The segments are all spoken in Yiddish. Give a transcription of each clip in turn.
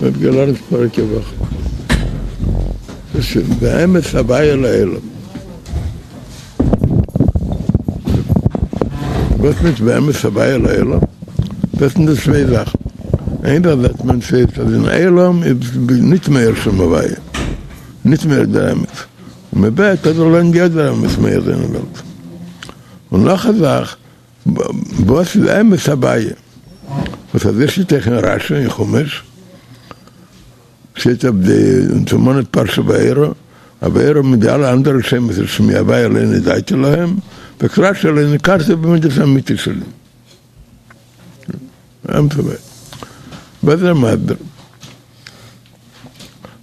מ'האט געלערנט פאריגע וואך. דאס איז באמת הוויה לעולם. וואס מיינט באמת הוויה לעולם? דאס זענען די צוויי זאכן. איין זאך זעט מען ס'איז אז אין עולם איז ניט מאיר שם הוויה, ניט מאיר דער אמת. און מ'בעט אז זאל ווערן יא דער אמת מאיר זיין אין וועלט. און נאך א זאך, וואס איז אמת הוויה? וואס אזוי שטייט אויך אין רשי אין חומש, שטייט אויף די אונז פרשת וארא, אז וארא מיט די אלע אנדערע שמות איז שמי הוויה לא נודעתי להם, זאגט רשי לא ניכרתי במידת האמיתית שלי. אמת הוויה. וואס איז ער מסביר?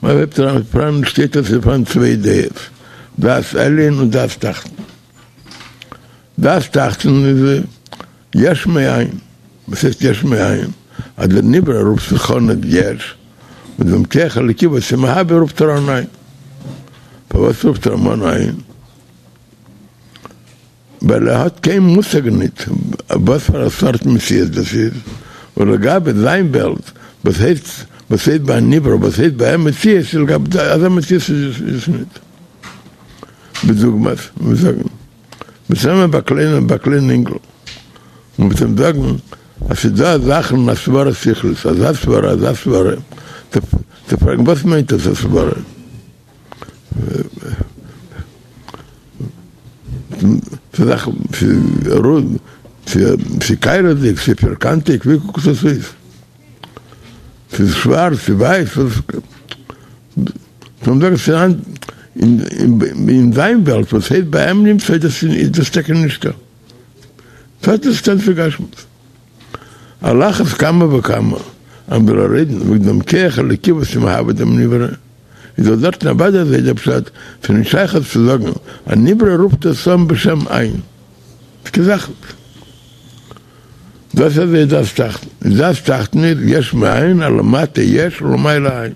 מען הייבט אן פאראן שטייט אז ס'איז פאראן צוויי דעות, דעת עליון און דעת תחתון. דעת תחתון איז יש מאין, וואס הייסט יש מאין? אז דער נברא רופט זיך אן אז יש, און דעם כח אלוקי וואס איז מהווה רופט ער אן אין. פארוואס רופט ער אים אן אין? ווייל ער האט קיין מושג ניט וואס פאר א סארט מציאות דאס איז, און לגבי זיין וועלט, וואס הייסט וואס הייסט ביי א נברא, וואס הייסט ביי אים מציאות, איז לגבי אזא מציאות איז עס ניט. בדוגמת, מיר זאגן, מיר נעמען ביי קליינע ביי קליינע אינגל, און מ'וועט אים זאגן אז ס'איז דא א זאך אין א סברה שכלית, אזא סברה, אזא סברה, צו פרעגן וואס מיינט דאס א סברה? ס'איז רונד, ס'איז קיילעכדיג, ס'איז פירקאנטיג, ווי קוקט עס אויס? ס'איז שווארץ, ס'איז ווייס, זאל זאגן ס'איז אין זיין וועלט וואס הייסט ביי אים נמצא איז דאס טאקע נישטא. ס'האט נישט קיין צו גשמיות. על אחת כמה וכמה אז מ'זאל רעדן וועגן דעם כח אלוקי וואס איז מהווה דעם נברא, איז דאך דארטן אוודאי אזוי דער פשט, ס'איז נישט שייך צו זאגן א נברא רופט עס אן בשם אין. ס'איז קיין זאך נישט. דאס איז דעת תחתון. דעת תחתון איז יש מאין, אז למטה יש ולמעלה אין.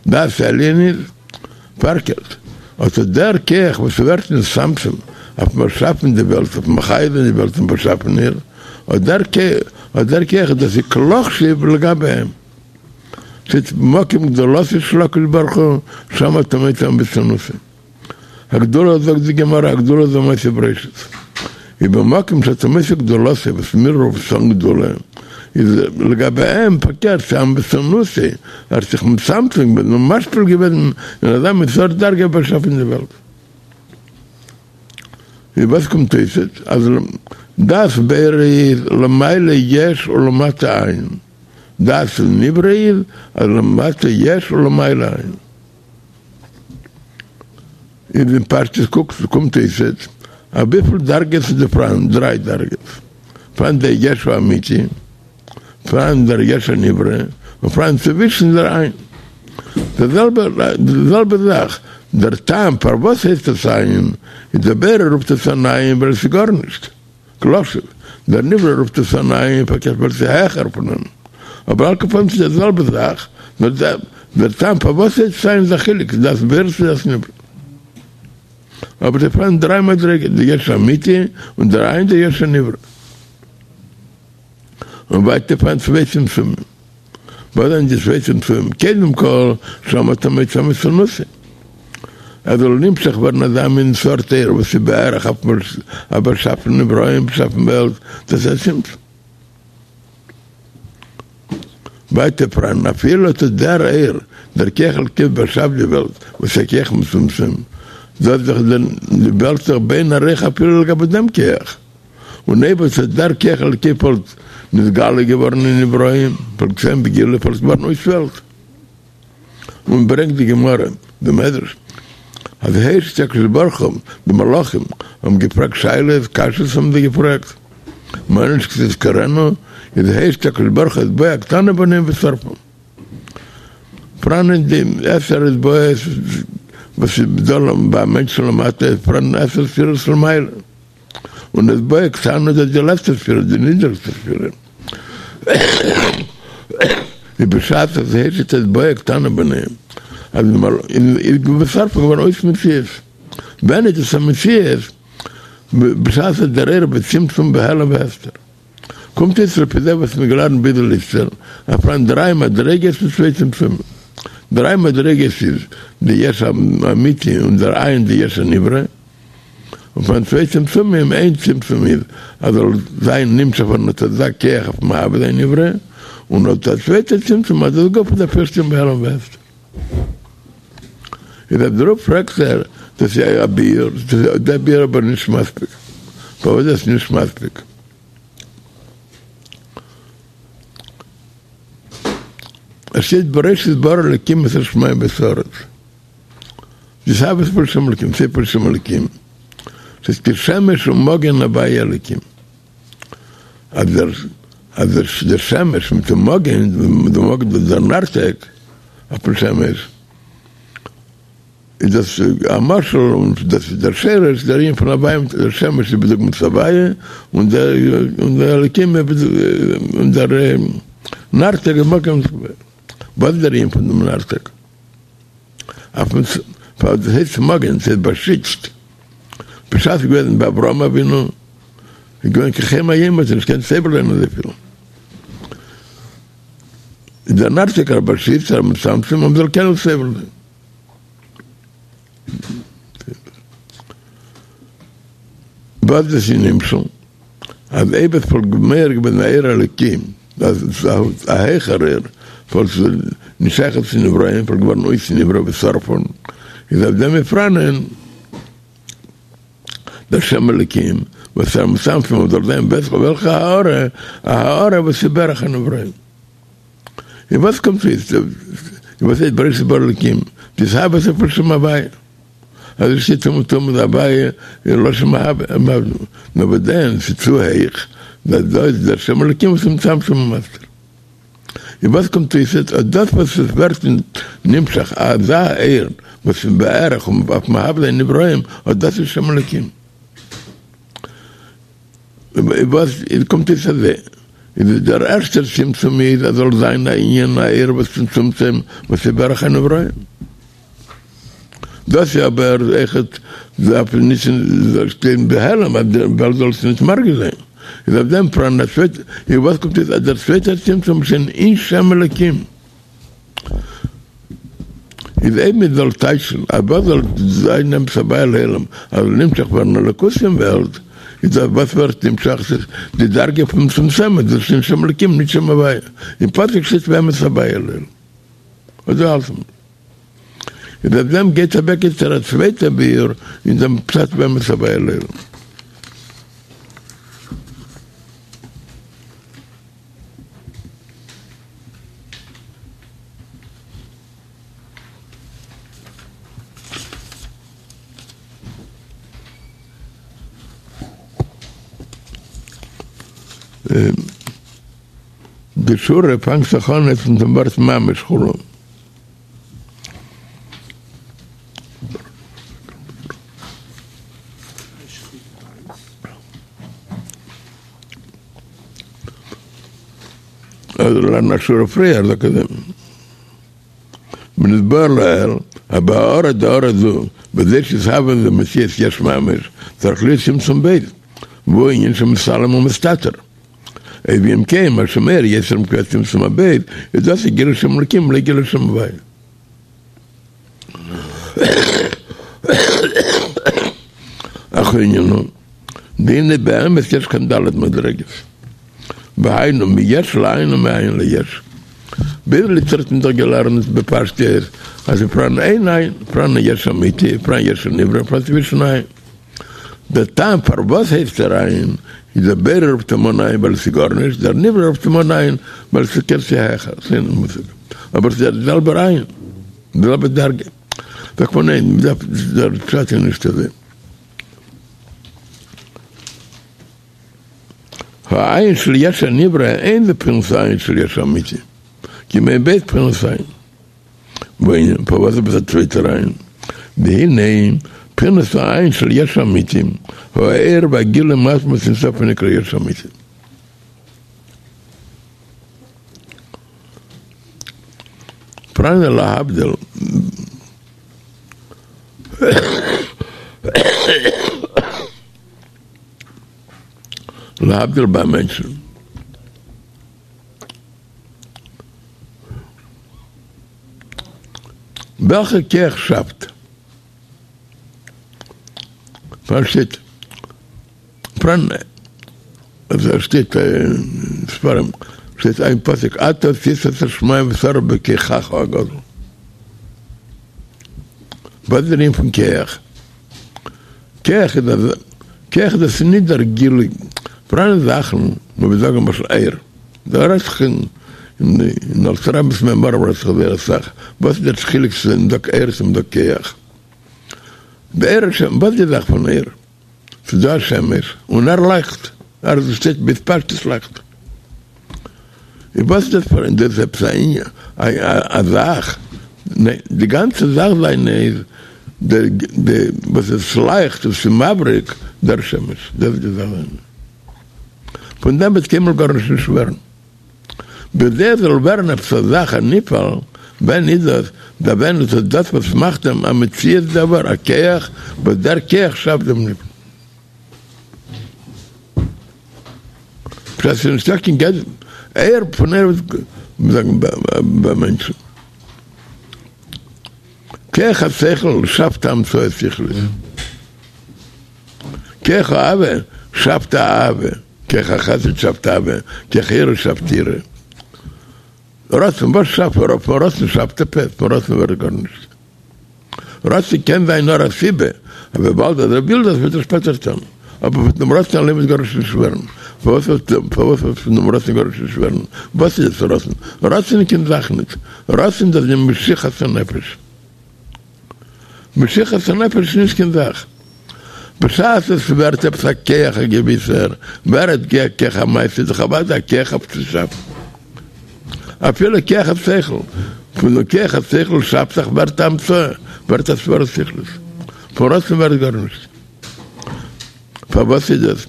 דעת עליון איז פארקערט, אט אט דער כח וואס ווערט נתצמצם אויף באשאפן די וועלט, אויף מחיה זיין די וועלט און באשאפן איר, אט דער אט דער כח דאס איז כלא חשיב לגבי אים. ס'איז מקום גדולתו של הקדוש ברוך הוא, שם אתה מוצא ענוותנותו. הגדולה זאגט די גמרא הגדולה זו מעשה בראשית איז במקום שאתה מוצא גדולתו וואס מיר רופן אן גדולה איז לגבי אים פארקערט ס'איז ענוותנותו ער האט זיך מצמצם געווען און משפיל געווען אין אזא מין סארט דרגה באשאפן די וועלט איז וואס קומט אויס אז דעת בורא איז למעלה יש ולמטה אין דעת נברא איז אז למטה יש ולמעלה אין. איז אין פשטות קוקט קומט אויס אז וויפיל דרגות איז דא פאראן? דריי דרגות, פאראן דער יש האמיתי, פאראן דער יש הנברא, און פאראן צווישן דער אין. די זעלבע די זעלבע זאך, דער טעם פארוואס הייסט עס אין, איז דער בורא רופט עס אן אין ווייל עס איז גארנישט. כלא חשיב, דער נברא רופט עס אן אין פארקערט ווייל ס'איז העכער פון אים, אבער על כל פנים ס'איז די זעלבע זאך, נאר דער טעם פארוואס ס'הייסט אין איז א חילוק, דעת בורא צו דעת נברא. אבער ס'איז פארהאן דריי מדריגות, די יש האמיתי, און דער אין, דער יש הנברא. און ווייטער פארהאן צוויי צמצומים. וואס זענען די צוויי צמצומים? קודם כל, שם אתה מוצא ענוותנותו. עס זאל נמשך ווערן אזא מין סארט אור וואס איז בערך אויף באשאפן נבראים, באשאפן וועלט, דאס איז א צמצום. ווייטער פאראן אפילו אט דער אור, דער כח אלקי באשאפט די וועלט, וואס איז א כח מצומצם, דאס זיך די וועלט זיך באין ערוך אפילו לגבי דעם כח. און אויב אט דער כח אלקי וואלט נתגלה געווארן אין נבראים, וואלט געווען בגילוי וואלט געווארן אויס וועלט. און ברענגט די גמרא, די מדרש, אז הושיט הקדוש ברוך הוא, די מלאכים האבן געפרעגט שאלות, קשיות האבן זיי געפרעגט, מה אנוש כי תזכרנו, איז הושיט הקדוש ברוך הוא אצבעו הקטנה ביניהם ושרפם. פראן אין די עשר אצבעות וואס איז דא ביי מענטשן למטה, איז פראן עשר ספירות למעלה. און אצבעו הקטנה איז די לעצטע ספירה, די נידעריגסטע ספירה. איז בשעת אז הושיט אצבעו הקטנה ביניהם, אז איז ושרפם געווארן אויס מציאות. ווען איז דאס א מציאות? בשעת אז דער אור בצמצום בהעלם והסתר. קומט אויס לפי זה וואס מ'האט געלערנט ביז איצטער, אז פאראן דריי מדריגות מיט צוויי צמצומים. דריי מדריגות איז די יש האמיתי און דער אין די יש הנברא, און פאראן צוויי צמצומים, איין צמצום איז אז זאל זיין נמשך ווערן אט אזא כח אויף מהווה זיין נברא, און אט א צווייטע צמצום אז דאס גופא דארף ערשט שטיין בהעלם והסתר. איז אויף דערויף פרעגט ער, דאס איז א ביאור, דער ביאור אבער נישט מספיק. פארוואס איז דאס נישט מספיק? עס שטייט בראשית ברא אלקים את השמים ואת הארץ. די התהוות פון שם אלקים, ספר שם אלקים, ס'איז כי שמש ומגן הוי' אלקים. אז דער אז דער שמש מיט דעם מגן, דער מגן דאס דער נרתק אויפן שמש, איז דאס א משל און דאס איז דער שרש דער ענין פון הוי' מיט דער שמש איז בדוגמת הוי' און דער און דער אלקים און דער נרתק איז מגן וואס איז דער ענין פון דעם נרתק? אויפן פאר דאס הייסט מגן ס'איז באשיצט בשעת ס'איז געוועזן ביי אברהם אבינו איז געווען כחום היום האט ער נישט געקענט סובל זיין אזויפיל איז דער נרתק א באשיצער א מצמצם אז מ'זאל קענען סובל זיין. וואס דאס איז נמשל אז אויב עס וואלט מער געווען א אור אלוקים אז א העכערער וואלט נישט שייך צו נבראים וואלט געווארן אויס נברא ושרפון איז אויף דעם איז פראנען דער שם אלוקים וואס איז א מצמצם אז זאל זיין וועלכע הארה א הארה וואס איז בערך הנבראים. און וואס קומט אויס? וואס הייסט בראשית ברא אלקים? די התהוות פון שם הוויה. אזוי שטייט אומעטום אז הוויה איז לשון מהווה, נאר וואס דען ס'איז צו הייך, דאס דא איז דער שם אלקים וואס איז מצמצם ומסתיר. און וואס קומט אויס אז דאס וואס עס ווערט נמשך אזא אור וואס איז בערך אויף מהווה זיין נבראים, אט דאס איז שם אלקים. וואס קומט אויס אז איז דער ערשטער צמצום איז אז זאל זיין א ענין א אור וואס מצמצם וואס איז בערך הנבראים. דאס איז אבער אויכעט דארף נישט שטיין בהעלם אז די וועלט זאל עס נישט מרגיש זיין. איז אויף דעם פאראן א צווייטע איז וואס קומט אויס אז דער צווייטער צמצום איז שוין אין שם אלקים. איז אויב מען זאל טייטשן אז וואס זאל זיין אמת הוויה לעולם אז זאל נמשך ווערן אלוקות אין וועלט, איז דאס וואס ווערט נמשך איז די דרגה פון מצומצמת, דאס איז שם אלקים נישט שם הוויה, אין פסוק שטייט ואמת הוויה לעולם. אזוי האלט מען. איז אויף דעם גייט אוועק איצטער א צווייטע ביאור אין דעם פשט ואמת הוויה לעולם. די שורה פאנגט זיך אן יעצט מיט דעם ווארט ממש כו'. אדער לערנען א שורה פריער זאגט ער ונתבאר לעיל אז בהארה דהארה זו בזה שיתהווה מציאות יש ממש צריך להיות צמצום ב' והוא ענין שמתעלם ומסתתר ואם כן מה שמאיר יותר מבחינת צמצום הב' איז דאס איז גילוי שם אלקים לא גילוי שם הוויה. אך הענין הוא, והנה באמת יש כאן ד' מדרגות, והיינו מיש לאין ומאין ליש. ביז איצטער האט מען דאך געלערנט בפשטות אז פאראן איין אין, פאראן א יש אמיתי, פאראן יש הנברא, פאראן צווישן אין. דער טעם פארוואס הייסט ער אין, איז דער בורא רופט אים אן אין ווייל עס איז גארנישט, דער נברא רופט אים אן אין ווייל עס איז קען ס'איז העכער, ס'איז אין מושג, אבער ס'איז דער זעלבער אין, די זעלבע דרגה. זאגט מען ניין, מ'דארף, דער פשט איז נישט אזוי. האין של יש הנברא אין זה בחינת האין של יש האמיתי, כי אם ב' בחינת אין. והענין, פארוואס איז עפעס א צווייטער אין? והנה, בחינת האין של יש האמיתי, הוא האור והגילוי מעצמות אין סוף הנקרא יש אמיתי. פראן להבדיל, להבדיל ביי מענטשן. וועלכע כח שאפט? פארשטייט פראן אזוי שטייט אין ספרים שטייט איין פסוק אתה עשית את השמים ואת הארץ בכחך הגדול. וואס איז דער ענין פון כח? כח איז אז כח דאס איז נישט דער גילוי, פאראן זאכן וואס מיר זאגן למשל אור, דא רעדט זיך אין אין אלטער רבי'נס מאמרים רעדט זיך זייער אסאך, וואס איז דער חילוק צו מ'זאגט אור צו מ'זאגט כח? די אור השם, וואס איז די זאך פון אור? ס'איז דא א שמש און ער לייכט, ער שטייט בהתפשטות לייכט. און וואס איז דאס פאר דאס איז עפעס א ענין א זאך? ניין, די גאנצע זאך זיינע איז די די וואס עס לייכט און ס'איז מבריק דער שמש, דאס איז די זאך זיינע. פון דעם וועט קיינמאל גארנישט נישט ווערן. בכדי עס זאל ווערן עפעס א זאך א נפעל, ווען איז דאס? דארף ווען איז דאס וואס מאכט אים א מציאות דבר, א כח, וואס דער כח שאפט דעם נפעל. פשט איז נישטא קיין גדר אור פון אור וואס זאגן ביי מענטשן. כח השכל שאפט המצאה שכלית. כח האהבה שאפט אהבה. כח החסד שאפט אהבה. כח היראה שאפט יראה. רצון, וואס שאפט פון רצון שאפט עפעס? פון רצון ווערט גארנישט. רצון קען זיין נאר א סיבה, אז וויבאלד אז ער וויל דאס וועט ער שפעטער טון, אבער פון דעם רצון אליין וועט גארנישט נישט ווערן. פארוואס וועט פארוואס וועט פון דעם רצון גארנישט נישט ווערן? וואס איז דאס רצון? רצון איז קיין זאך ניט. רצון דאס איז משיכת הנפש. משיכת הנפש איז נישט קיין זאך. בשעת עס ווערט עפעס א כח א געוויסער, ווערט כח המעשה איז דאך אוודאי א כח אויף צו שאפן. אפילו כח השכל, פון דעם כח השכל שאפט זיך ווערט א המצאה, ווערט א סברא שכלית. פון רצון ווערט גארנישט. פארוואס איז דאס?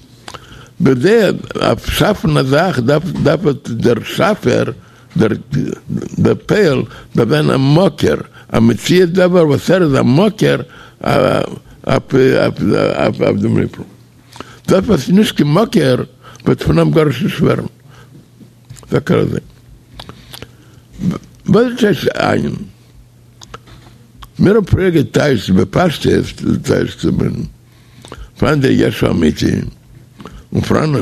בכדי אויף שאפן א זאך דארף דארף דער שאפער, דער דער פועל, דארף זיין א מקור, א מציאות דבר וואס ער איז א מקור אויף אויף דעם נפעל. דאס וואס איז נישט קיין מקור וועט פון אים גארנישט נישט ווערן. זאגט ער אזוי. וואס איז טייטש אין? מיר האבן פריער געטייטשט בפשטות טייטשט מען פאראן דער יש האמיתי און פאראן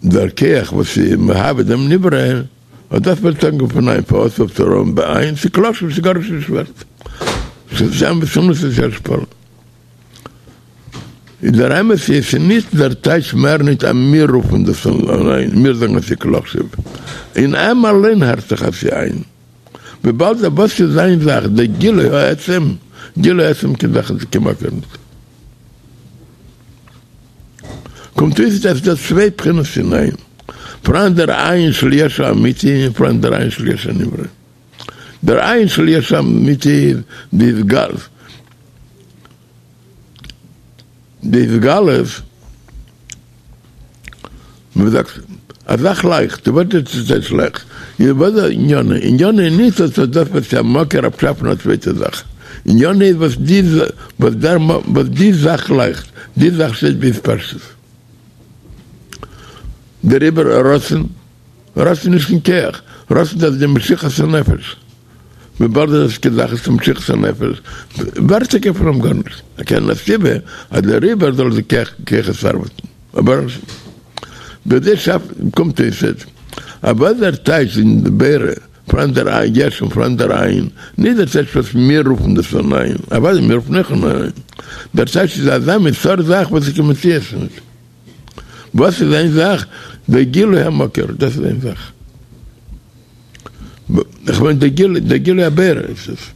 דער כח וואס איז מהווה דעם נברא, אט דאס ווערט אנגערופן אין פארוואס ווערט ער אן באין ס'איז כלא חשיב ס'איז גארנישט נישט ווערט ס'איז אמת ס'איז השפלה. איז דער אמת איז ס'איז נישט דער טייטש מער נישט אז מיר רופן דאס אן אין, מיר זאגן אז ס'איז כלא חשיב, אין עם אליין הערט זיך אז ס'איז אין, וויבאלד אז וואס איז זיין זאך דער גילוי העצם, גילוי העצם קיין זאך איז כמעט נישט. קומט אויס אז ס'איז דא צוויי בחינות אין אין, פאראן דער אין של יש האמיתי און פאראן דער אין של יש הנברא. דער אין של יש האמיתי איז די התגלות, די התגלות, ווי מ'זאגט, א זאך לייכט, וואס איז דאס לייכט? איז וואס איז ענינו? ענינו איז נישט אז דאס וואס איז א מקור אויף שאפן א צווייטע זאך, ענינו איז וואס די וואס דער וואס די זאך לייכט, די זאך שטייט בהתפשטות. דעריבער רצון רצון איז נישט קיין כח, רצון דאס איז די משיכת הנפש, וויבאלד דאס איז קיין זאך איז משיכת הנפש, ווערט טאקע פון אים גארנישט, ער קען א סיבה אז דעריבער זאל די כח כוחות ארבעטן, אבער בזה שאף קומט אויס אז וואס דער טייטש אין די בורא פאראן דער יש און פאראן דער אין, נישט דער טייטש וואס מיר רופן דאס אן אין, אוודאי מיר רופן אויך אן אין, דער טייטש איז אזא מין סארט זאך וואס איז קיין מציאות נישט. וואס איז איין זאך? דער גילוי המקור, דאס איז איין זאך. איך מיין דער גילוי, דער גילוי הבורא איז עס.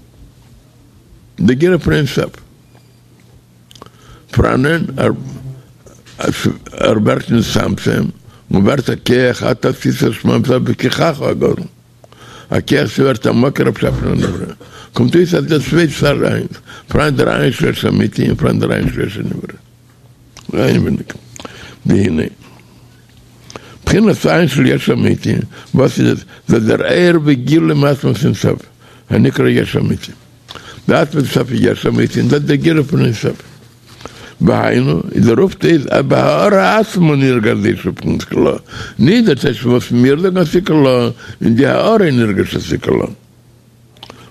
דער גילוי פון אין סוף. פאראנען, ער ווערט נתצמצם, און ווערט א כח, אתה עשית השמים בכחך הגדול. א כח ס'ווערט א מקור אויף שאפן א נברא. קומט אויס אז דאס צוויי צד איינס, פאראן דער אין של יש האמיתי און פאראן דער אין של יש הנברא. אינעווייניג. והנה. בחינת אין של יש אמיתי, וואס איז עס? דאס דער אור וגילוי מעצמות אין סוף, הנקרא יש אמיתי. די עצמות אין סוף איז יש אמיתי, און דאס איז דער גילוי פון אין סוף. והיינו, איז דער אויפטו איז אז בהארה עצמה נרגש יש בבחינת כלא, נישט דער טייטש וואס מיר זאגן אז ס'איז כלא, אין די הארה נרגש אז ס'איז כלא.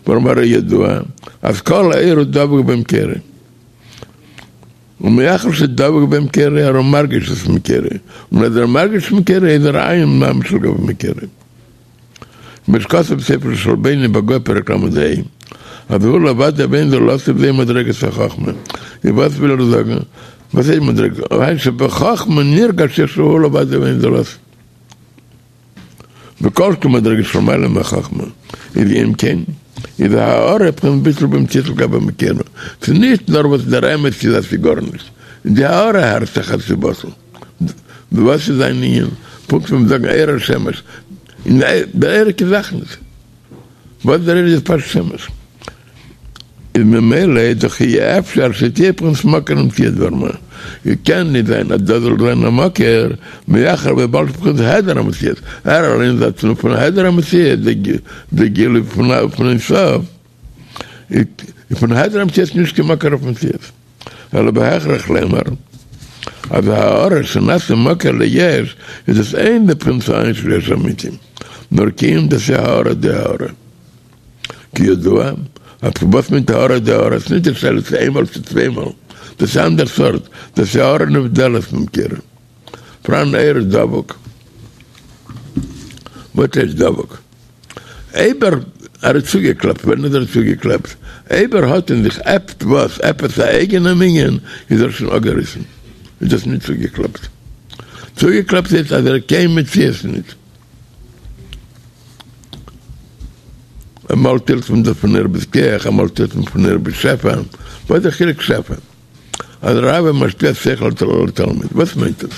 ווארום הרי ידוע אז כל האור הוא דבוק במקורו. ומאחר שדבוק במקורו הרי הוא מרגיש את מקורו, און אז ער מרגיש מקורו איז ער אין ממש לגבי מקורו. כמו שכתוב בספר שעלבני בגו פרק ל"ה, אז הוא לבדו ואין זולתו וזוהי מדרגת החכמה. איז וואס וויל ער זאגן? וואס הייסט מדרגת? היינו שבחכמה נרגש איך שהוא לבדו ואין זולתו. וכל שכן מדרגה שלמעלה מהחכמה, איז אם כן, איז ההארה בחינת ביטול במציאות לגבי מקורו, ס'איז נישט נאר וואס דער אמת איז אז ס'איז גארנישט, די הארה הערט זיך אז ס'איז בטל. וואס איז זיין ענין? פונקט ווי מ'זאגן אור השמש, און דער אור איז קיין זאך נישט. וואס דער אור איז פשוט שמש. איז ממילא איז דאך אי אפשר שתהיה בחינת מקור למציאות דבר מה, איז קען נישט זיין אז דאס זאל זיין א מקור, מאחר וויבאלד בחינת העדר המציאות, ער אליין איז א תנועה פון העדר המציאות, די גילוי פון אין סוף, איז פון העדר המציאות נישט קיין מקור אויף מציאות, אלא בהכרח לומר אז ההארה שנעשה מקור ליש איז דאס אין בבחינת האין של יש אמיתי, נאר כי אם דאס איז הארה דהארה. כידוע, אז וואס מיינט הארה דהארה, ס'נישט די שאלה צו איינמאל צו צוויי מאל, דאס איז אנדער סארט, דאס איז הארה נבדלת ממקורה. פאראן אור דבוק. וואס הייסט דבוק? אויב ער איז צוגעקלעפט, ווען איז ער צוגעקלעפט? אויב ער האט אין זיך עפעס עפעס א אייגענעם ענין, איז ער שוין אפגעריסן, איז דאס נישט צוגעקלעפט. צוגעקלעפט הייסט אז ער איז קיין מציאות נישט. אמאל טיילט מען דאס פון אור ביז כח, אמאל טיילט מען פון אור ביז שפע, וואס איז די חילוק שפע? אז רב איז משפיע שכל לתלמיד, וואס מיינט דאס?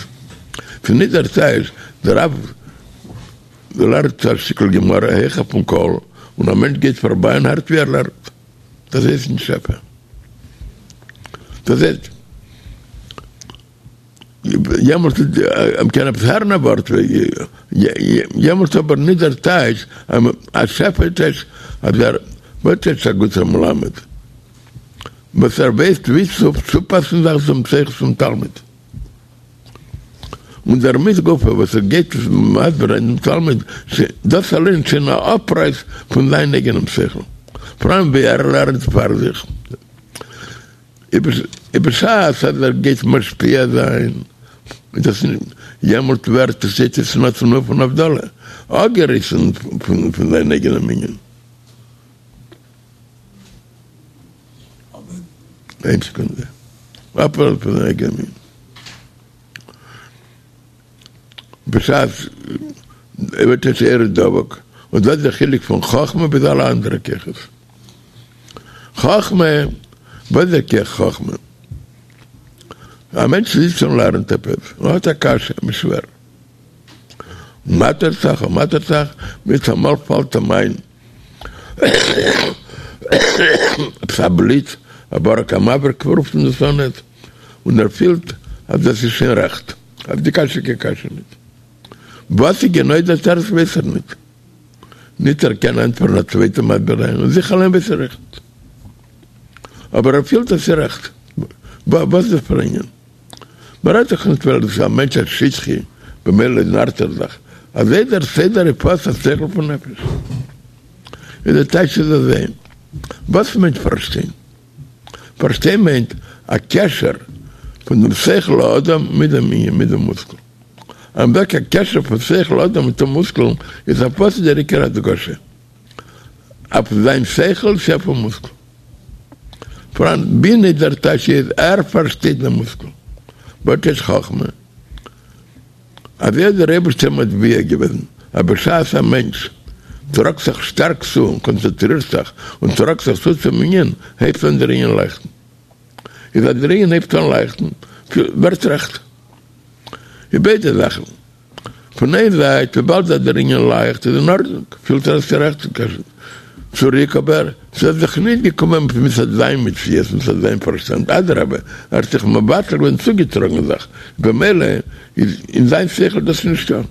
ס'איז נישט דער טייטש, דער רב לערנט א שטיקל גמרא הויך אויפן קול, און א מענטש גייט פארביי און הערט ווי ער לערנט, דאס הייסט נישט שפע. דאס הייסט. יעמאלט מ'קען עפעס הערן א ווארט יעמאלט אבער נישט דער טייטש אז שפע טייטש אז ער וואס טייטש א גוטער מלמד וואס ער ווייסט ווי צו צופאסן זיך צום שכל פון תלמיד און דערמיט גופא וואס ער גייט מסביר זיין דעם תלמיד דאס אליין שוין א אפרייס פון זיין אייגענעם שכל פאראן ווי ער לערנט פאר זיך. בשעת אז ער גייט משפיע זיין, איז דאס יעמאלט ווערט עס יעצט אין א תנועה פון הבדלה, אפגעריסן פון זיין אייגענעם ענין. איין סעקונדע. אפגעריסן פון זיין אייגענעם ענין. בשעת ווערט עס אור דבוק, און דאס איז דער חילוק פון חכמה ביז אלע אנדערע כוחות. חכמה, וואס איז דער כח חכמה? א מענטש זיצט און לערנט עפעס, און האט א קשיא, אים איז שווער. מאטערט זיך און מאטערט זיך, מיטאמאל פאלט אים איין עפעס א בליץ, א ברק המבריק רופט מען דאס אן, און ער פילט אז דאס איז שוין רעכט, אז די קשיא איז קיין קשיא ניט. וואס איז גענוי דער תירוץ ווייס ער ניט. ניט ער קען ענטפערן א צווייטן מסביר זיין און זיך אליין ווייס ער אויך ניט. אבער ער פילט אז ס'איז רעכט. וואס איז דאס פאר א ענין? מ'רעדט דאך ניט ווייל דאס איז א מענטש א שטחי, במילא נארט ער זיך. אזוי דער סדר הפעלת השכל פון נפש. איז דער טייטש איז אזוי. וואס מיינט פארשטיין? פארשטיין מיינט א קשר פון דעם שכל האדם מיט דעם ענין, מיט דעם מושכל. אז מ'זאגט א קשר פון שכל האדם מיט דעם מושכל איז אויף וואס איז דער עיקר הדגשה? אויף זיין שכל צו אויפן מושכל? פאראן בינה דער טייטש איז ער פארשטייט דעם מושכל. וואס איז חכמה? אזוי האט דער אייבערשטער מטביע געוועזן אז בשעת א מענטש טראגט זיך שטארק צו און קאנצענטרירט זיך און טראגט זיך צו צום ענין, הייבט אן דער ענין לייכטן. איז אז דער ענין הייבט אן לייכטן, ווערט רעכט. איז ביידע זאכן. פון איין זייט וויבאלד אז דער ענין לייכט איז אין ארדנונג, פילט ער אז ס'איז רעכט צוריק, אבער ס'איז זיך נישט געקומען מצד זיין מציאות, מצד זיין פארשטאנד, אדרבה, ער האט זיך מבטל געווען צוגעטראגן זיך, במילא איז אין זיין שכל דאס נישטא.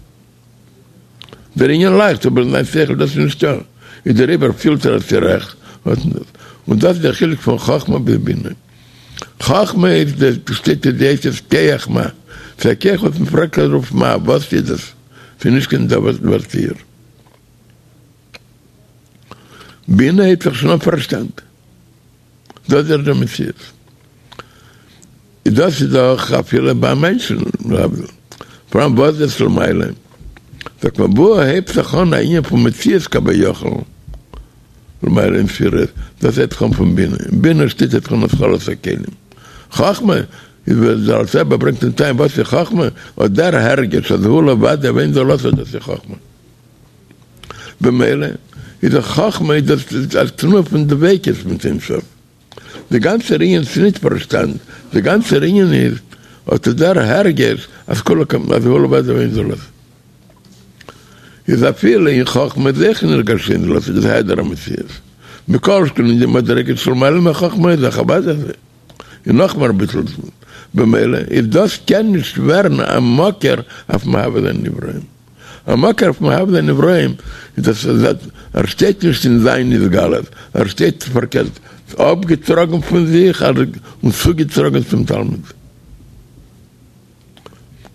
דער ענין לייכט, אבער אין זיין שכל דאס נישטא, איז דעריבער פילט ער אז ס'איז רעכט, און דאס איז דער חילוק פון חכמה ביז בינה. חכמה איז דאס שטייט אין די אותיות כח מה, ס'איז א כח וואס מ'פרעגט דערויף מה, וואס איז דאס, ס'איז נישט קיין דבר תיאור. בינה הייבט זיך שוין אן פארשטאנד. דאס איז דער מציאות. דאס איז דאך אפילו ביי מענטשן להבדיל. פאראן וואס דאס למעלה. זאגט מען וואו הייבט זיך אן א ענין פון מציאות כביכול למעלה אין ספירות, דאס הייבט זיך אן פון בינה. אין בינה שטייט הייבט זיך אן התחלת הכלים. חכמה איז ווי דער אלטער רבי ברענגט אין תניא וואס איז חכמה? אט דער הרגש אז הוא לבדו ואין זולתו דאס איז חכמה. במילא איז דאך חכמה איז דאס א תנועה פון דביקות מיט אין סוף. די גאנצער ענין איז נישט פארשטאנד, די גאנצער ענין איז אט דער הרגש אז כולו קמ אז הוא לבדו ואין זולתו. איז אפילו אין חכמה איז אויך נרגש שאין זולתו דאס העדר המציאות. מכל שכן אין די מדריגות שלמעלה מחכמה איז דאך אוודאי אזוי. און נאכמער אביסל במילא איז דאס קען נישט ווערן א מקור אויף מהווה זיין נבראים. א מקור אויף מהווה זיין נבראים איז דאס אז ער שטייט נישט אין זיין התגלות, ער שטייט פארקערט אפגעטראגן פון זיך און צוגעטראגן צום תלמיד.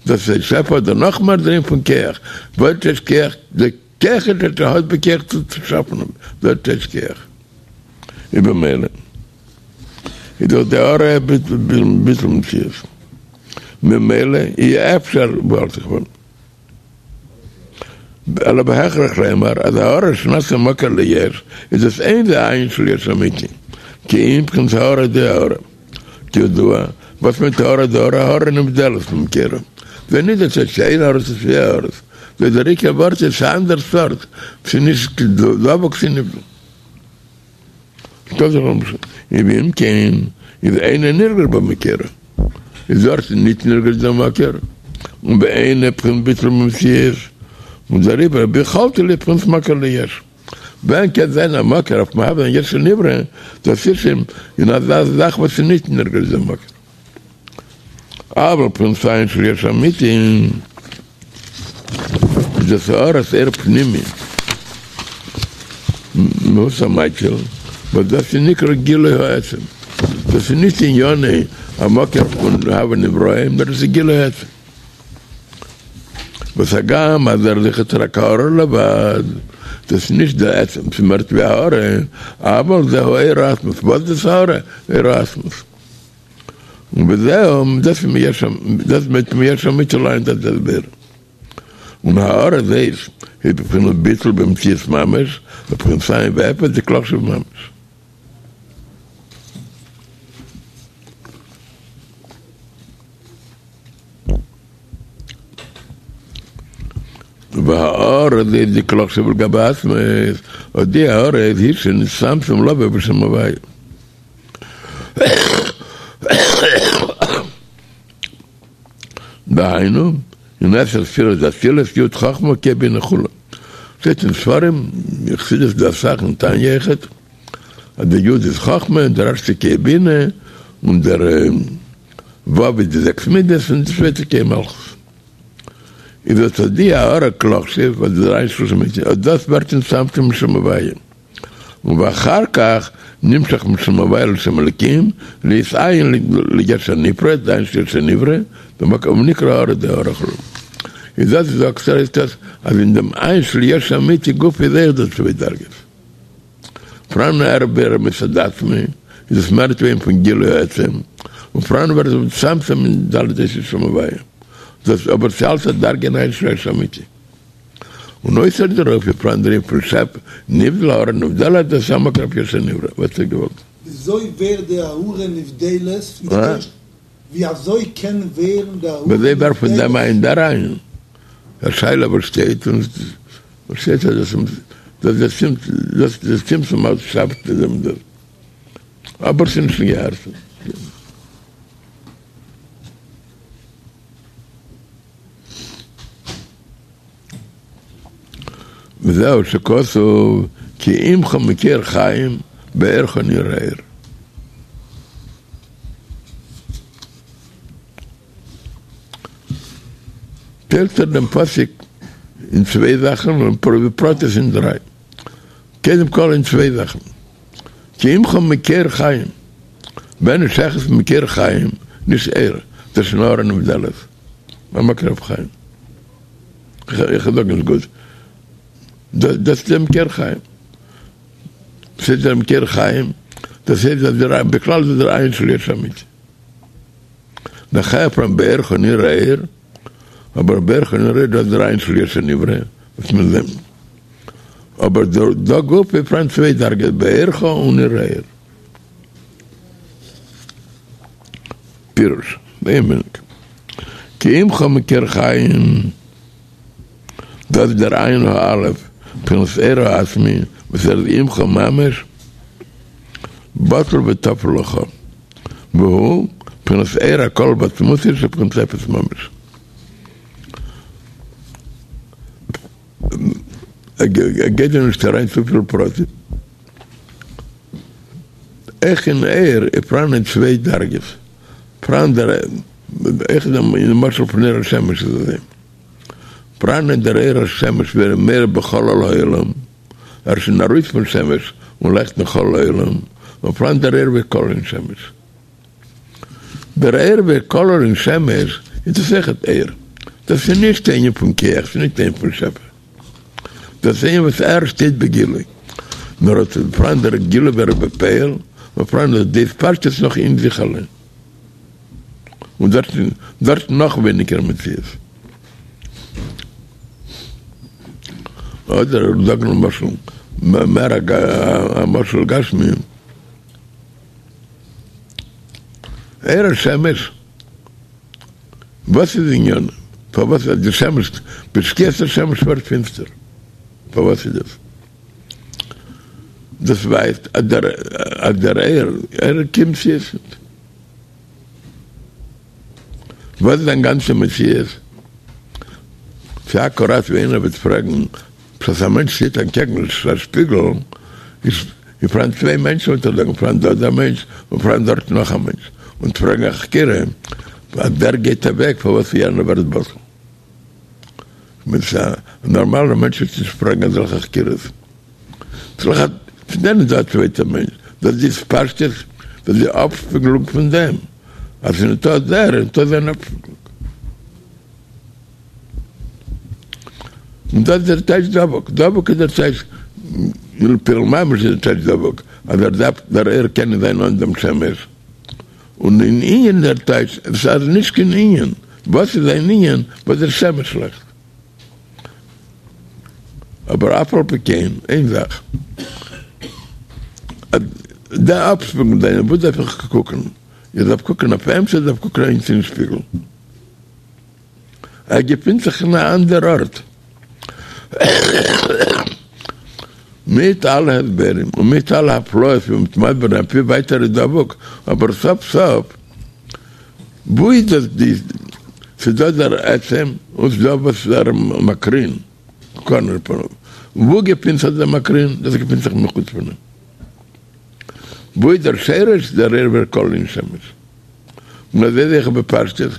דאס איז שפע אדער נאכמער דער ענין פון כח, וואס איז כח? די כח איז אז ער האט בכח צו שאפן, דאס איז כח. איז במילא איז דאך די הארה ביטול מציאות, ממילא אי אפשר וואלט איך ווען אלא בהכרח לומר אז הארה שנעשה מקור ליש איז דאס אין זה אין של יש אמיתי כי אם בחינת הארה דהארה כידוע וואס מיינט הארה דהארה הארה נבדלת ממקורה זה נישט דאס הייסט שאין הארות עס איז יא הארות דער עיקר ווארט איז ס'איז אנדער סארט ס'איז נישט דבוק ס'איז נבדל. ואם כן, איז אינו נרגש במקורו, איז דארט ניט נרגש דער מקור, און ואינו בחינת ביטול במציאות, און דעריבער ביכולתו להיות בחינת מקור ליש. ווען קען זיין א מקור אויף מהווה זיין יש לנברא, דאס איז שוין אין אזא זאך וואס איז ניט נרגש דער מקור. אבל בחינת אין של יש אמיתי איז דאס הארת אור פנימי מהות המקיל וואס דאס איז נקרא גילוי העצם דאס איז נישט ענינו המקור פון הווי נבראים נאר דאס איז גילוי העצם וואס הגם אז ער איז רק הארה לבד דאס איז נישט די עצם ס'איז מער ווי הארה אבל זהו אור עצמות וואס איז דאס הארה? אור עצמות. און וזהו, דאס איז מיש דאס מיינט מיש אמיתי ליינט דאס הסבר. און הארה הזאת איז בבחינת ביטול במציאות ממש, בבחינת אין ואפס דכלא חשיב ממש. והארה הזאת דכלא חשיב לגבי עצמות, אט די הארה איז היא שנצטמצם לבוא בשם הוויה. דהיינו, אין עשר ספירות דאצילות י' חכמה כ' בינה כו'. שטייט אין ספרים, אין חסידות דא אסאך אין תניא אויכעט, אז דער י' איז חכמה, דער ערשטע כ' בינה, און דער ו' איז די זעקס מידות, און די צווייטע כ' מלכות. איז אט די הארה כלא חשיב, וואס דער אין של יש אמיתי, אט דאס ווערט נצטמצם לשם הוויה. ואחר כך נמשך משם הוויה לשם אלקים, להיות אין ליש הנפרד, די אין של יש הנברא, במקום נקרא הארה דהארה כו'. איז דאס זאגט ער איז דאס אז אין דעם אין של יש אמיתי גופא איז אויך דא צוויי דרגות. פראן ער ווערט מצד עצמו, איז עס מער ווי פון גילוי העצם, און פראן ווערט עס מצטמצם אין ד' אותיות שם הוויה. דאס אבער ס'אלץ א דרגה אין אין של יש אמיתי. און אויסער דערויף איז פאראן דער ענין פון שפע נבדל הארה נבדלת דאס איז א מקור אויף יש הנברא וואס האט ער געוואלט. וויאזוי ווערט די הארה נבדלת פון די ערשטע? ווי אזוי קען ווערן די הארה וויאזוי ווערט פון דעם נבדלת? אין דער אין א שאלה וואס שטייט און וואס שטייט אז דאס דאס דאס דאס דאס צמצום אלץ שאפט דעם דאס אבער ס'איז נישט געהערט. וזהו שכתוב כי עמך מקור חיים באורך נראה אור. טיילט ער דעם פסוק אין צוויי זאכן און בפרטיות אין דריי. קודם כל אין צוויי זאכן. כי עמך מקור חיים. ווען איז שייכות מקור חיים, נישט אור, דאס איז הארה נבדלת. א מקור אויף חיים. איך זאג נישט גוט. דאס איז דער מקור חיים. ס'איז דער מקור חיים, דאס הייסט אז דער בכלל איז דער עין של יש אמיתי. נאכהער פאראן באורך נראה אור, אבער באורך נראה דאס איז דער עין של יש הנברא, וואס מיר זעען. אבער דא גופא איז פאראן צוויי דרגות באורך און נראה אור. פירוש, כי עמך מקור חיים. דאס איז דער עין האלף בחינת אור העצמי וואס ער איז עמך ממש בטל וטפל לך והוא בחינת אור הכלול בעצמותו שבחינת אפס ממש. ער גייט דא נישט אריין צופיל פרטים. אויך אין אור איז פאראן צוויי דרגות, פאראן דער אויך אין משל פון אור השמש איז אזוי. פראן דער אור השמש ווי ער איז מאיר בחלל העולם, ער איז שוין ארויס פון שמש און לייכט אין חלל העולם, און פראן דער אור ווי כלול אין שמש. דער אור ווי כלול אין שמש איז דאס אויכעט אור, דאס איז נישט ענין פון כח, ס'איז נישט ענין פון שפע, דאס איז ענין וואס ער שטייט בגילוי, נאר עס איז פראן דער גילוי ווי ער איז בפועל, און פראן די התפשטות נאך אין זיך אליין. און דארט דארט נאך ווייניגער מציאות. אדער זאגן למשל מער א משל גשמי, אור השמש, וואס איז ענינו? פארוואס אז די שמש בשקיעת השמש ווערט פינסטער? פארוואס איז דאס? דאס ווייזט אז דער אז דער אור ער קומט צו עס. וואס איז זיין גאנצע מציאות? ס'איז אקוראט ווי איינער וועט פרעגן, בשעת א מענטש שטייט אנטקעגן א שפיגל, איז פאראן צוויי מענטשן וועט ער זאגן פאראן דא דער מענטש און פאראן דארט נאך א מענטש, און פרעגן א חקירה אז דער גייט אוועק פארוואס יענער ווערט בטל. כ'מיין ס'איז א נארמאלער מענטש וועט נישט פרעגן אזעלכע חקירות. צו דען איז דא א צווייטער מענטש? דאס איז התפשטות, דאס איז די אפשפיגלונג פון דעם אז ס'איז ניטא דער, איז ניטא זיין אפשפיגלונג. און דאס איז דער טייטש דבוק, דבוק איז דער טייטש, אין פועל ממש איז דער טייטש דבוק, אז ער דארף, דער אור קען נישט זיין אן דעם שמש. און אין ענין דער טייטש, עס איז נישט קיין ענין, וואס איז זיין ענין וואס דער שמש לייכט. אבער אף על פי כן, איין זאך, אז די אפשפיגלונג זיינע, וואס דארף איך קוקן? איך דארף קוקן אויף אים צו איך דארף קוקן אריין אין שפיגל? ער געפינט זיך אין א אנדער ארט. מיט אלע הסברים און מיט אלע הפלאות ווי מ'האט מסביר זיין ווי ווייט ער איז דבוק, אבער סוף סוף וואו איז דאס די, ס'איז דא דער עצם און ס'איז דא וואס ער מקרין, קארנער פנים, וואו געפינט זיך דער מקרין? דאס געפינט זיך מחוץ פון אים. וואו איז דער שרש? דער אור ווי ער כלול אין שמש. און אזוי איז אויך בפשטות,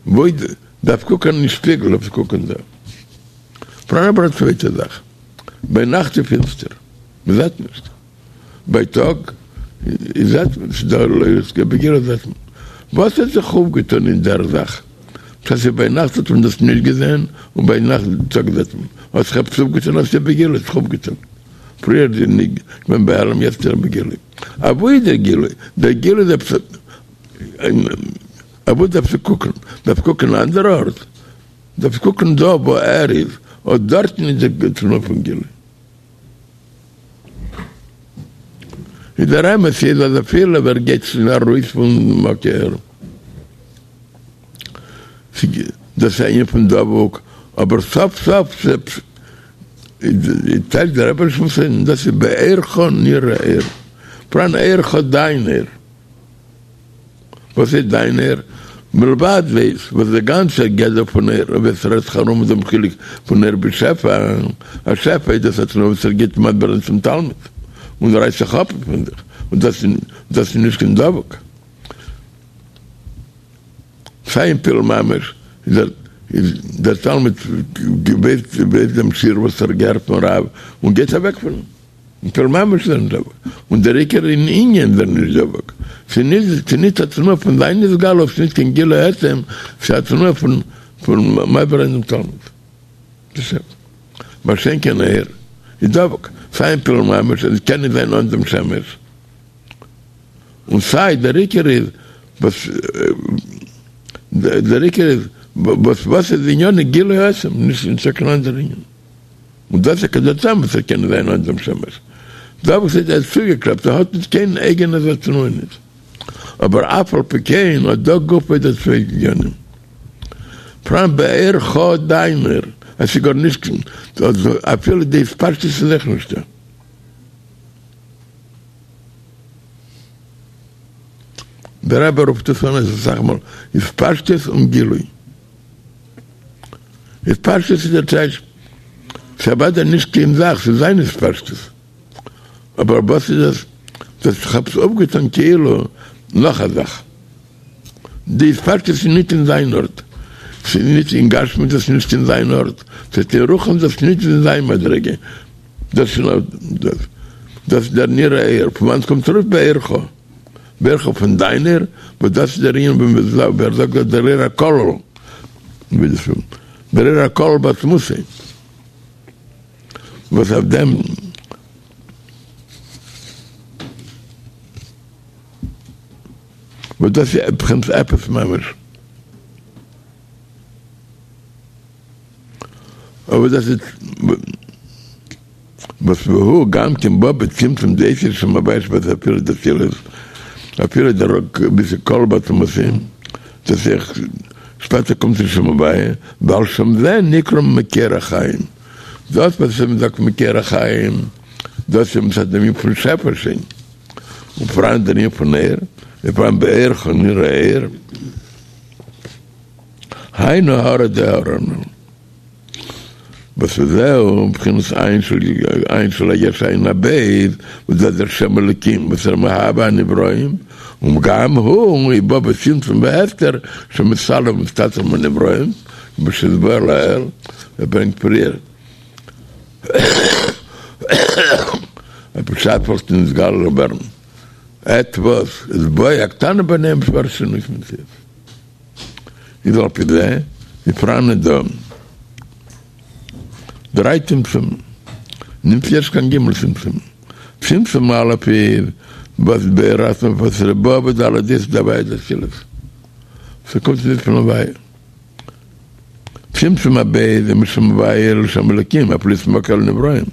וואו איז, דארף קוקען אין שפיגל, דארף קוקען דא. פאראן אבער א צווייטע זאך, ביינאכט איז פינסטער, מ'זעט נישט. בייטאג זעט מען, ס'איז דא לויכט, בגילוי זעט מען. וואס האט זיך אויפגעטון אין דער זאך? בשעת ס'איז ביינאכט האט מען דאס נישט געזען, און ביינאכט טאג זעט מען. האט זיך עפעס אויפגעטון אז ס'איז בגילוי האט זיך אויפגעטון. פריער איז געווען בהעלם יעצט איז ער בגילוי. אוואו איז דער גילוי? דער גילוי איז עפעס אוואו דארפסטו קוקן? דארפסט קוקן אין אן אנדער ארט? דארפסט קוקן דא וואו ער איז, אט דארטן איז די תנועה פון גילוי. איז דער אמת איז אז אפילו ווער גייט שוין ארויס פון מקור, דאס איז א ענין פון דבוק, אבער סוף סוף טייטשט דער רבי נשמתו עדן דאס איז באורך נראה אור, פאראן אורך דיין אור. וואס איז דיין אור? מלבד דאס וואס דער גאנצער גדר פון אור און ווי עס רעדט זיך ארום דעם חילוק פון אור בשפע, א שפע איז דאס א תנועה וואס ער גיט מסביר צום תלמיד און רייסט זיך אפ פון זיך און דאס דאס איז נישט קיין דבוק. סיי אין פועל ממש איז דער איז דער תלמיד ווייסט ווייסט דעם שיעור וואס ער געהערט פון רב און גייט אוועק פון אים. אין פועל ממש איז ער נישט דבוק, און דער עיקר אין ענין איז ער נישט דבוק, ס'איז נישט א תנועה פון זיין התגלות, ס'איז נישט קיין גילוי עצם, ס'איז א תנועה פון פון מסביר זיין דעם תלמיד. מה שאין כן אור. איז דבוק, סיי אין פועל ממש אז עס קען נישט זיין אן דעם שמש, און סיי דער עיקר איז וואס דער עיקר איז וואס וואס איז ענינו גילוי העצם, נישט נישטא קיין אנדער ענין. און דאס איז דער טעם וואס ער קען נישט זיין אן דעם שמש. דבוק איז ער איז צוגעקלעפט, ער האט נישט קיין אייגענע זיך תנועה נישט. אבער אף על פי כן אט דא גופא איז דא צוויי ענינים. פראן באורך דיין אור, עס איז גארנישט אפילו די התפשטות איז אויך נישטא. דער רבי רופט עס אן אסאך מאל התפשטות און גילוי. התפשטות איז דער טייטש, ס'איז אוודאי נישט קיין זאך, ס'איז זיין התפשטות. אבער וואס איז דאס? דאס איך האב עס אויפגעטאן כאילו נאך א זאך. די התפשטות איז נישט אין זיין ארט. ס'איז נישט אין גשמיות דאס נישט אין זיין ארט. ס'איז אין רוחניות דאס נישט אין זיין מדריגה. דאס איז נאר דאס. דאס איז דער נראה אור. פון וואנעט קומט ארויס באורך? באורך פון דיין אור, וואס דאס איז דער ענין ווי ער זאגט דארט דער אור הכלול. דער אור הכלול בעצמותו. וואס אויף דעם וואס דאס איז בחינת אפס ממש. אבער דאס איז וואס והוא גם כן בא בצמצום דאותיות שם הוויה שבספירה דאצילות אפילו דער ווי ס'איז כלול בעצמותו דאס איז שפעטער קומט צו שם הוויה ועל שם זה נקרא מקור החיים דאס וואס מען זאגט מקור החיים דאס איז מצד דעם ענין פון שפע שוין און פאראן דער ענין פון אור ופאראן באורך נראה אור. היינו הארה דהארה הנ"ל. וואס וזהו בחינת עין של עין של היש עין הב' וואס דאס דער שם אלוקים וואס ער מהווה הנבראים וגם הוא בא בצמצום והסתר שמסתלק ומסתתר מהנבראים כמו שהתבאר לעיל ער ברענגט פריער אז בשעת וואלט נתגלה ווערן עטוואס אצבעו הקטנה ביניהם ס'ווערט שינוי מציאות. איז על פי זה איז פאראן דא דריי צמצומים, נישט ערשט קיין גימל צמצומים, צמצום א' איז וואס באור עצמו וואס איז בא בד' אותיות דהוויה דאצילות, ס'קומט נישט פון הוויה. צמצום הב' איז משם הוויה לשם אלוקים, אף להיות מקור לנבראים,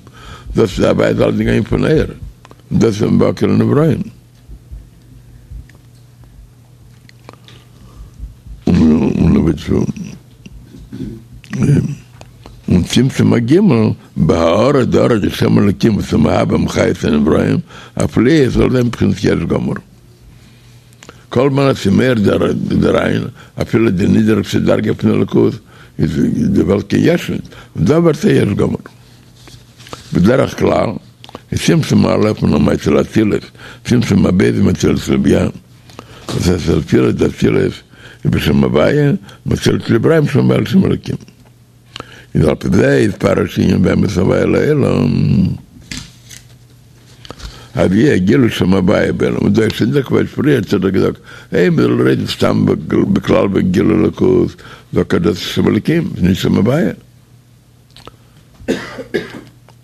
דאס איז הוויה זאל גיין פון אור, דאס איז מקור לנבראים. און צמצום הג' בהארה דאורה דשם אלקים וואס איז מהווה ומחיה את הנבראים אף להיות זאל זיין בחינת יש גמור. כל זמן אז ס'איז מאיר דער אין, אפילו די נידעריגסטע דרגה פון אלוקות, איז די וועלט קיין יש ניט, און דא ווערט א יש גמור. בדרך כלל איז צמצום א' פון מאציל אצילות, צמצום הב' איז מאציל לבי"ע, דאס הייסט אצילות דאצילות איז בשם הוויה, מאציל לבראים בשם הוויה לשם אלוקים. איז על פי זה יתפרש ענין ואמת הוויה לעולם. אז יהיה גילוי שם הוויה בעולם, און דא איז שוין דא כבר פריער האט ער דאך געזאגט, אויב מ'זאל רעדן סתם בכלל בגילוי אלוקות, זאגט ער דאס איז שם אלוקים, נישט שם הוויה.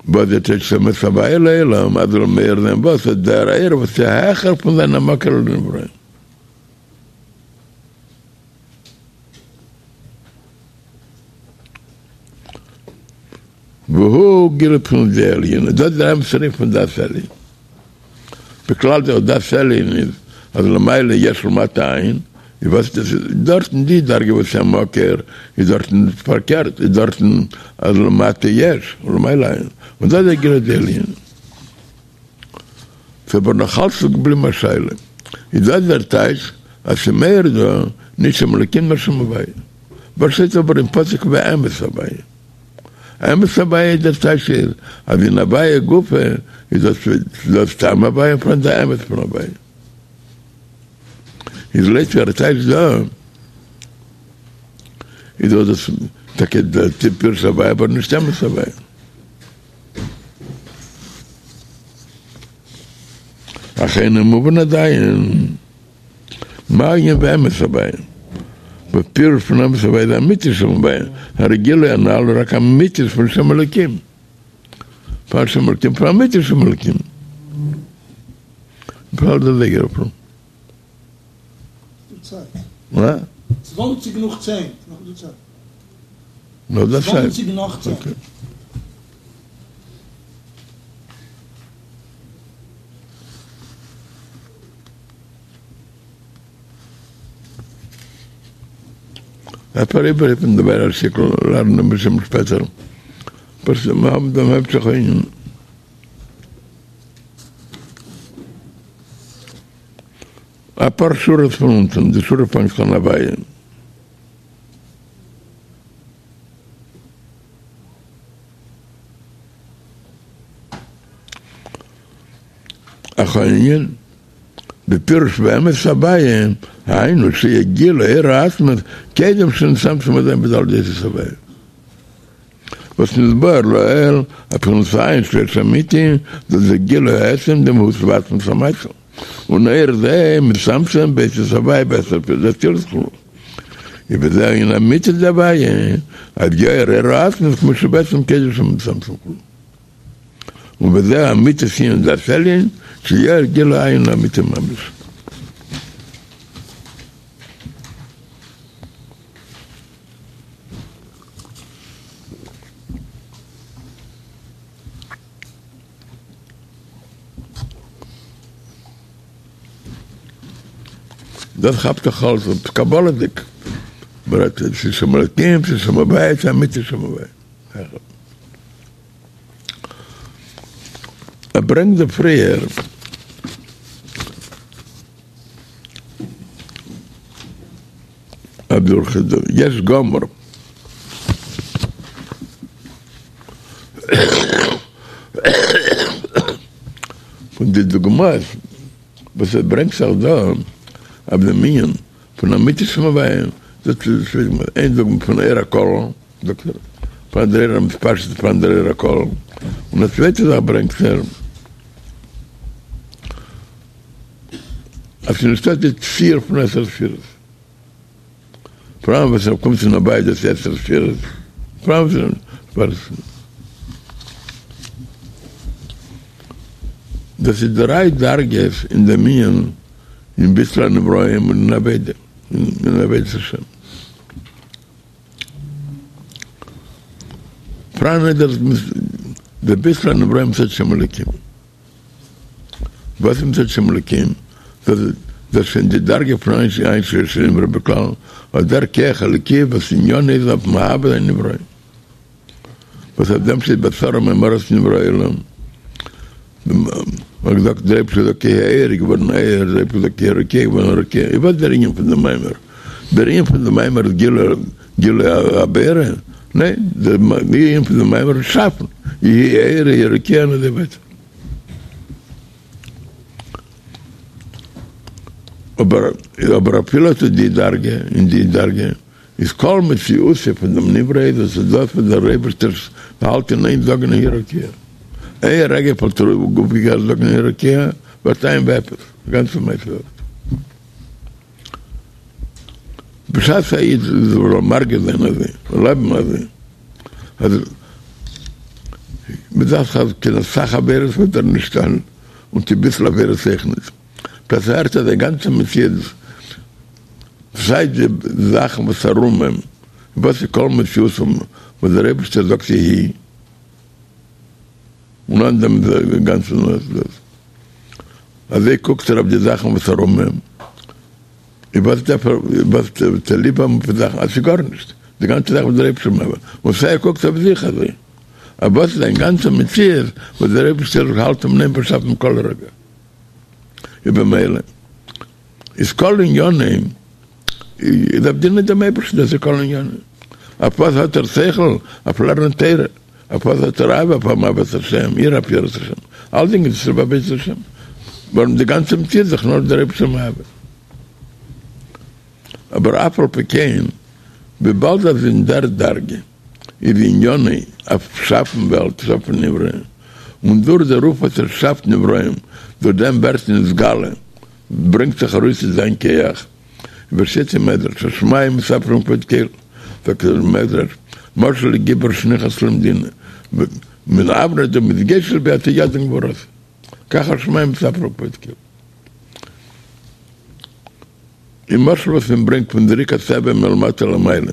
וואס דער טייטש אמת הוויה לעולם אז זאל מאיר זיין וואס איז דער אור וואס איז העכער פון זיין א מקור לנבראים. והוא גילוי בחינת דעה עליונה, דאס איז דער אמת'ער ענין פון דעת עליון. בכלל דער דעת עליון איז אז למעלה יש ולמטה אין, איז וואס איז דאס דארטן די דרגה וואס איז א מקור איז דארטן פארקערט איז דארטן אז למטה יש ולמעלה אין, און דאס איז דער גילוי דעליון. ס'איז אבער נאך אלץ געבליבן א שאלה, איז דאס דער טייטש אז ס'מאיר דא נישט שם אלוקים נאר שם הוויה? וואס שטייט אבער אין פסוק ואמת הוויה? אמת הוויה דער טייטש איז אז אין הוויה גופא איז דאס דאס סתם הוויה און פאראן די אמת פון הוויה. איז לויט ווי ער טייטשט דא איז דאך דאס טאקע דער פירוש הוויה אבער נישט אמת הוויה. אך אינו מובן עדיין. מה ענין ואמת הוויה? וואס פירוש פון אמת הוויה איז אמיתית שם הוויה, הרי גילוי הנ"ל הוא רק אמיתית פון שם אלוקים. פאר שם אלקים פאר אמיתת שם אלקים. וויפיל האלט דער זייגער אפרים? ס'דא צייט. ווא? צוואנציג נאך צען. נאך דא צייט. נאך דא צייט. צוואנציג נאך צען. אקעי. אפשר איבערהיפן די ווערע שטיקל לערנען אביסל שפעטער, פשוט מיר האבן דעם המשך הענין. אפאר שורות פון אונטן, די שורה פאנגט זיך אן הוויה. אך הענין בפירוש באמת הוויה, היינו שיהיה גילוי אור העצמות קודם שנצטמצם עדיין בד' אותיות הוויה. וואס נתבאר לעיל אז בחינת אין שיש אמיתי, דאס איז גילוי העצם דמהות ועצמות המאציל, און אור זה מצטמצם באותיות הוויה בעשר ספירות דאצילות כו'. ובזה הענין אמיתית דהוויה, אז יאיר אור העצמות כמו שבעצם קודם שמצטמצם כו'. ובזה אמיתית ענין דעת עליון, שיאיר גילוי האין האמיתי ממש. דאס כאפט דאך אלס אפ קבלה'דיג, מ'רעדט צו שם אלקים, צו שם הוויה, צו אמיתית שם הוויה. ער ברענגט דא פריער אז דורך די יש גמור פון די דוגמאות וואס ער ברענגט זיך דא אויף דעם ענין פון אמיתית שם הוויה, דאס איז איין דוגמא פון אור הכולל, זאגט ער, פאראן דער אור המתפשט פאראן דער אור הכולל, און א צווייטע זאך ברענגט ער, אז ס'איז נישטא די ציור פון עשר ספירות, פאראן וואס ער קומט פון הוויה דאס איז עשר ספירות, פאראן וואס דאס איז דריי דרגות אין דעם ענין אין ביטול הנבראים און אין עבודה, אין עבודת השם. פאראן איז דאס דער ביטול הנבראים מצד שם אלוקים. וואס איז מצד שם אלוקים? דאס איז שוין די דרגה פון אין שיש לנברא בכלל, אט דער כח אלוקי וואס עניינו איז אויף מהווה זיין נבראים. וואס אויף דעם שטייט בעשרה מאמרות נברא העולם. מ'האט געזאגט דער אייבערשטער זאגט יהי אור איז געווארן אור, דער אייבערשטער זאגט יהי רקיע איז געווארן רקיע, איז וואס דער ענין פון דעם מאמר? דער ענין פון דעם מאמר איז גילוי גילוי הבורא? ניין, דער ענין פון דעם מאמר איז שאפן, יהי אור יהי רקיע און אזוי ווייטער. אבער אבער אפילו אט די דרגה אין די דרגה איז כל מציאותו פון דעם נברא איז עס איז דאס וואס דער אייבערשטער האלט אין איין זאגן יהי רקיע. איין רגע וואלט ער אויפגעהערט זאגן יהי רקיע ווערט אין ואפס די גאנצע מעשה וועלט. בשעת א איד זאל מרגיש זיין אזוי און לעבן אזוי אז מ'דארף אז קיין אסאך עבירות וועט ער נישט טון און קיין ביסל עבירות אויך נישט. דאס הערט אז די גאנצע מציאות סיי די זאכן וואס ארום אים, וואס איז כל מציאות וואס דער אייבערשטער זאגט יהי, און אן דעם איז די גאנצע דאס, אזוי קוקט ער אויף די זאכן וואס ארום אים, און וואס דארף ער, וואס צוליב האבן פון זאכן, אז ס'איז גארנישט, די גאנצע זאך וואס דער אייבערשטער מאכט, און סיי ער קוקט אויף זיך אזוי, אז וואס איז זיין גאנצע מציאות וואס דער אייבערשטער האלט אים אין איין באשאפן כל רגע, איז במילא. איז כל ענינו איז אויף דינען דעם אייבערשטן, דאס איז כל ענינו. אויף וואס האט ער שכל? אויף לערנען תורה. אויף וואס האט ער אהבה? אויף האבן אהבת השם, יראה אויף יראת השם. אלדינג איז צוליב עבודת השם. ווארום די גאנצע מציאות איז דאך נאר דער אייבערשטער מהווה. אבער אף על פי כן, וויבאלד אז אין דער דרגה איז ענינו אויף שאפן וועלט, שאפן נברא, און דורך דערויף וואס ער שאפט נבראים, דורך דעם ווערט נתגלה, ברענגט זיך ארויס אין זיין כח, ווי ס'שטייט אין מדרש, השמים מספרים כבוד קל, זאגט דער מדרש, משל לגיבור שנכנס למדינה. מן אבנט דמתגשת ביה עד ידין גבורות כך השמים מספר כבוד קל. אין משל וואס מען ברענגט פון זריקת אבן מלמטה למעלה,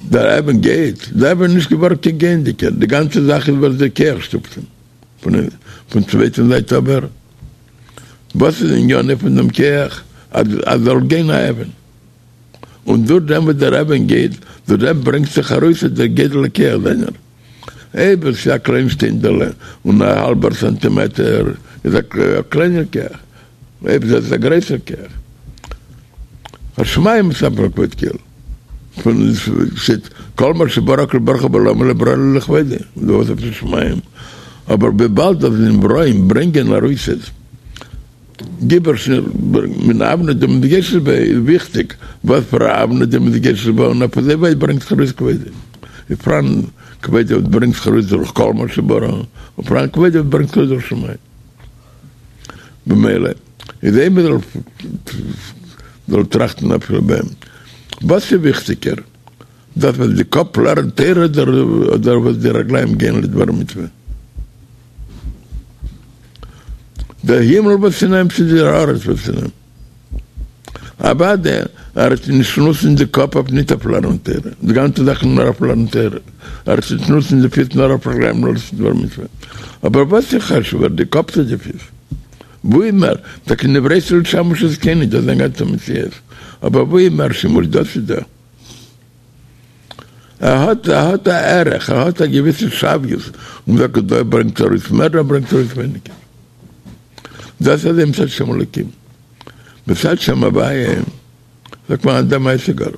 דער אבן גייט, דער אבן איז נישט געווארן קיין גייענדיגער, די גאנצע זאך איז וואס דער כח שטופט אים, פון צווייטן זייט אבער, וואס איז עניינו פון דעם כח אז אז זאל גיין א אבן, און דורך דעם וואס דער אבן גייט, דורך דעם ברענגט זיך ארויס דער גודל הכח זיינער. אויב עס איז א קליין שטיינדעלע און א האלבער סאנטימעטער איז א קליינער כח, אויב עס איז א גרויסער כח. השמים מספר כבוד קל פון שטייט כל מה שברא הקדוש ברוך הוא בעולמו לא ברא אלא לכבודו, דא וואס עפעס שמים, אבער וויבאלד אז נבראים ברענגען ארויס עס גיבור מן אבנט דמתגשת ביה איז וויכטיג וואס פאר א אבנט דמתגשת ביה און אויף אזוי ווייט ברענגט זיך ארויס כבודו איז פאראן כבודו וואס ברענגט זיך ארויס דורך כל מה שברא און פאראן כבודו וואס ברענגט זיך ארויס דורך שמים במילא איז אויב מען זאל טראכטן אפילו ביי אים וואס איז וויכטיגער דאס וואס די קאפ לערנט תורה אדער וואס די רגליים גייען לדבר מצוה? דער הימל וואס אין אים צו די הארץ וואס אין אים. אוודאי ער וועט נישט נוצן די קאפ אויף ניט אויף לערנען תורה, די גאנצע זאך איז נאר אויף לערנען תורה, ער וועט נישט נוצן די פיס נאר אויף רגליים נאר צו דבר מצוה. אבער וואס איז חשוב'ער די קאפ צו די פיס? וואו איז מער? טאקע נבראתי לשמש את קוני, דאס איז זיין גאנצע מציאות, אבער וואו איז מער שימוש דאס איז דא? ער האט ער האט א ערך, ער האט א געוויסע שוויות, און זאגט דא ברענגט ארויס מער דא ברענגט ארויס ווייניגער. דאס איז מצד שם אלוקים. מצד שם הוויה זאגט מען אט די מעשה גאר.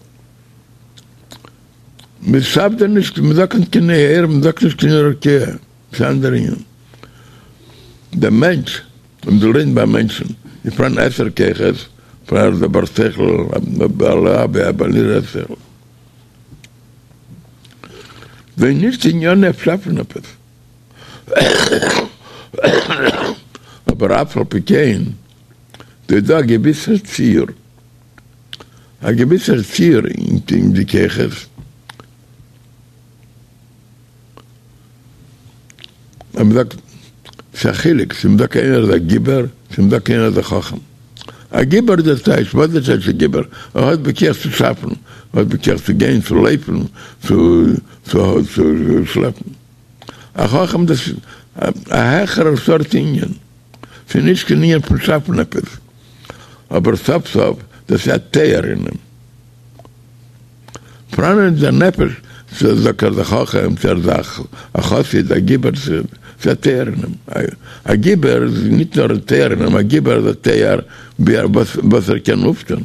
מען שאפט דא נישט, מען זאגט נישט קיין נהר, מען זאגט נישט קיין רקיע, ס'איז אן אנדער ענין. דער מענטש, און דו לערנסט ביי מענטשן, איז פארהאן עשר כוחות, פארהאן דער בר שכל, א בעל אהבה, א בעל יראה שכל. זיי נישט ענינו אויף שאפן עפעס. אבער אף על פי כן, דא איז דא א געוויסער ציור, א געוויסער ציור אין די כוחות, אז מ'זאגט ס'איז א חילוק צו מ'זאגט איינער איז א גיבור צו מ'זאגט איינער איז א חכם. א גיבור איז דער טייטש, וואס איז דער טייטש א גיבור? ער האט בכח צו שאפן, ער האט בכח צו גיין, צו לויפן, צו צו שלעפן. א חכם דאס איז א העכערער סארט ענין, ס'איז נישט קיין ענין פון שאפן עפעס, אבער סוף סוף דאס איז א תואר אין אים. פראן אין דער נפש, צו זאגט ער איז א חכם, צו ער איז א חסיד, א גיבור, ס'איז א תואר אין אים. א גיבור איז ניט נאר א תואר אין אים, א גיבור איז א תואר וואס ער קען אויפטון.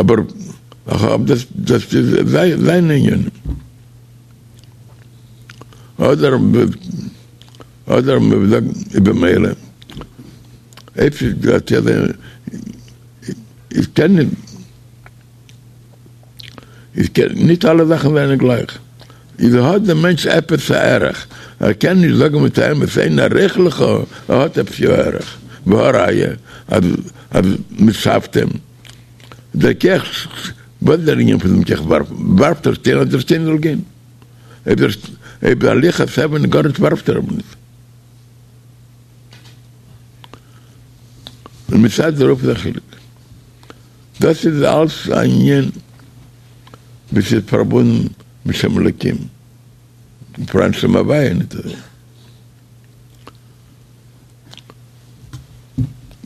אבער דאס איז זיינע ענינים. אדער אדער מ'זאגט במילא. אפשר האט יעדער איך קען נישט איך קען נישט אלע זאכן זענען גלייך איז האט דער מענטש עפעס א ערך ער קען נישט זאגן מיט א אמת אין ערוך לך ער האט עפעס יא ערך והא ראיה אז אז מ'שאפט אים דער כח וואס איז דער ענין פון דעם כח ווארפן ווארפט ער שטיין אז דער שטיין זאל גיין אויב דער אויב הליכת אבן גארנישט ווארפט ער אים נישט. און מצד דערויף איז א חילוק. דאס איז אלס א ענין וואס איז פארבונדן מיט שם אלוקים, פאראן שם הוויה ניט אזוי.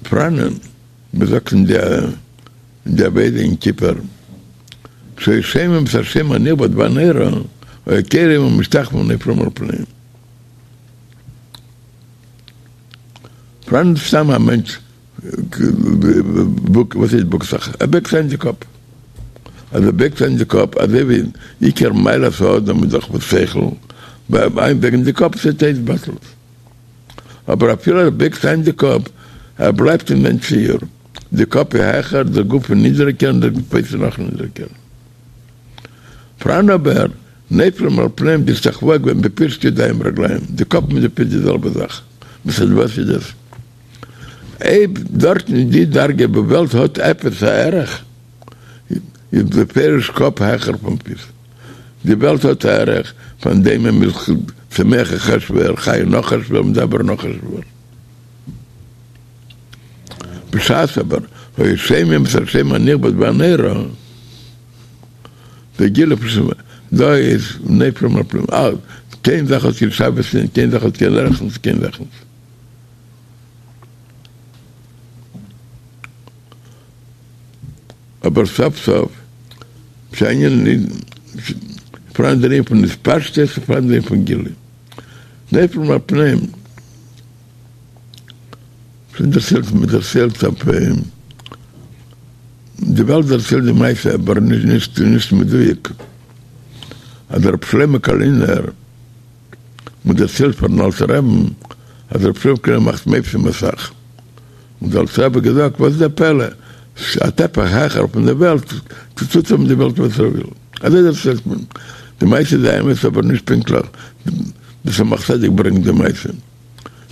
פאראן וואס זאגט אין די עבודה יום כיפור, כשהיו שומעים את השם הנכבד והנורא, היו כורעים ומשתחווים ונופלים על פניהם. פאראן סתם א מענטש וואס הייסט בוקט זיך? ער בייגט איין די קאפ. אז ער בייגט איין די קאפ אזוי ווי עיקר מעלת האדם איז דאך שכל, ביי איינבייגן די קאפ איז עס התבטלות. אבער אפילו ער בייגט איין די קאפ, ער בלייבט אין זיין ציור. די קאפ איז העכער, די גוף איז נידריגער און די פיס איז נאך נידריגער. פאראן אבער נופלים על פניהם די השתחוואה געווען בפירוש ידיים ורגליים, די קאפ מיט די פיס די זעלבע זאך, מצד וואס איז דאס? אויב דארטן אין די דרגה וואו וועלט האט עפעס א ערך, איז בפירוש קאפ העכער פון פיס. די וועלט האט א ערך פון דומם איז צומח חשוב'ער, חי נאך חשוב'ער, מדבר נאך חשוב'ער. בשעת אבער היו שומעים את השם הנכבד והנורא, די גילוי פון שמ דא איז נופלים על פניהם, אה, קיין זאך האט קיין שוויות נישט, קיין זאך האט קיין ערך נישט, קיין זאך נישט. אבער סוף סוף ס'איז אן ענין פאראן דער ענין פון התפשטות און פאראן דער ענין פון גילוי. נופלים על פניהם. שוין דערציילט, מען דערציילט אויף די וועלט דערציילט די מעשה אבער נישט נישט מדויק אז ר' שלמה קארלינער מען דערציילט פארן אלטער רעבן אז ר' שלמה קארלינער מאכט מופתים אסאך און דער אלטער רבי האט געזאגט וואס איז דער פלא א טפח העכער פון די וועלט טוט ער מיט די וועלט וואס ער וויל אזוי דערציילט מען די מעשה איז אמת אבער נישט פונקטליך דער צמח צדק ברענגט די מעשה.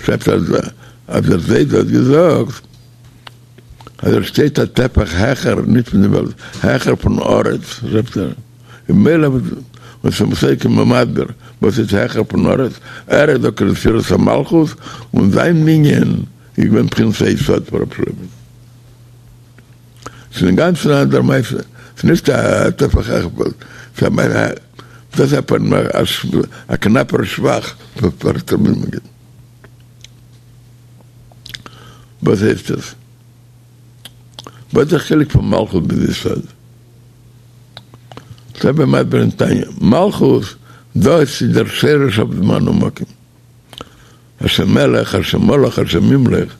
שרייבט אז אז דער זיידע האט געזאגט אז ער שטייט א טפח העכער נישט פון די וועלט העכער פון ארץ שרייבט ער ממילא און צמח צדק איז מסביר וואס איז העכער פון ארץ ער איז דאך ספירת המלכות און זיין ענין איז געווען בחינת היסוד פאר רב שלמה ס'איז אינגאנצן א אנדערע מעשה ס'איז נישט א טפח העכער ס'איז א דאס איז א קנאפער שבח פאר תלמיד מגיד. וואס הייסט עס? וואס איז די חילוק פון מלכות ביז יסוד? דער רבי מסביר אין תניא, מלכות דאס איז דער שורש אויף זמן ומקום. השם מלך, השם מלך, השם ימלוך,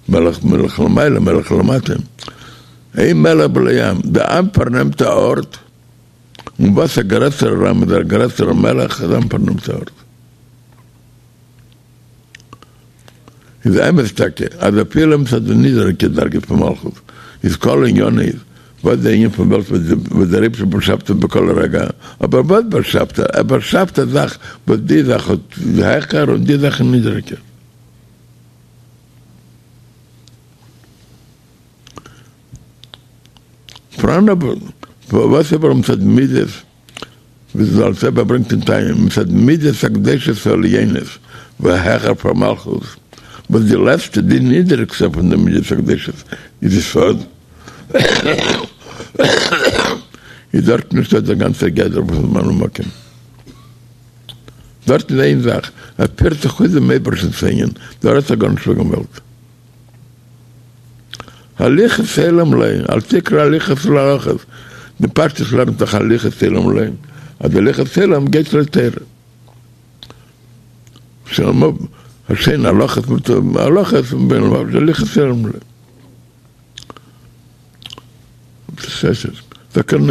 מלך מלך למעלה מלך למטה. אין מלך בלי עם, די עם פארנעמט א ארט. און וואס א גרעסערער עם איז א גרעסערער מלך אז עם פארנעמט א ארט. איז אמת טאקע אז אפילו מצד די נידעריגע דרגה פון מלכות איז כל ענינו איז וואס די ענין פון וועלט וואס דער אייבערשטער באשאפט עס בכל רגע, אבער וואס באשאפט ער? ער באשאפט א זאך וואס די זאך האט איז העכער און די זאך איז נידעריגער. פראן אבער וואס אבער מצד מידות, ווי דער אלטער רבי ברענגט אין תניא, מצד מידות הקדושות העליונות והעכער פאר מלכות, וואס די לעצטע די נידעריגסטע פון די מידות הקדושות איז יסוד, איז דארט נישטא דער גאנצער גדר פון זמן ומקום. דארט איז איין זאך, ער פירט זיך אויס דעם אייבערשטנ'ס ענין, דא רעדט זיך גארנישט וועגן וועלט. הליכות עולם לא, אל תקרא הליכות אלא הלכות, די פשטות לערנט דאך הליכות עולם לא, אז הליכות עולם גייט לתורה. שאין הלכות הלכות הליכות עולם לא.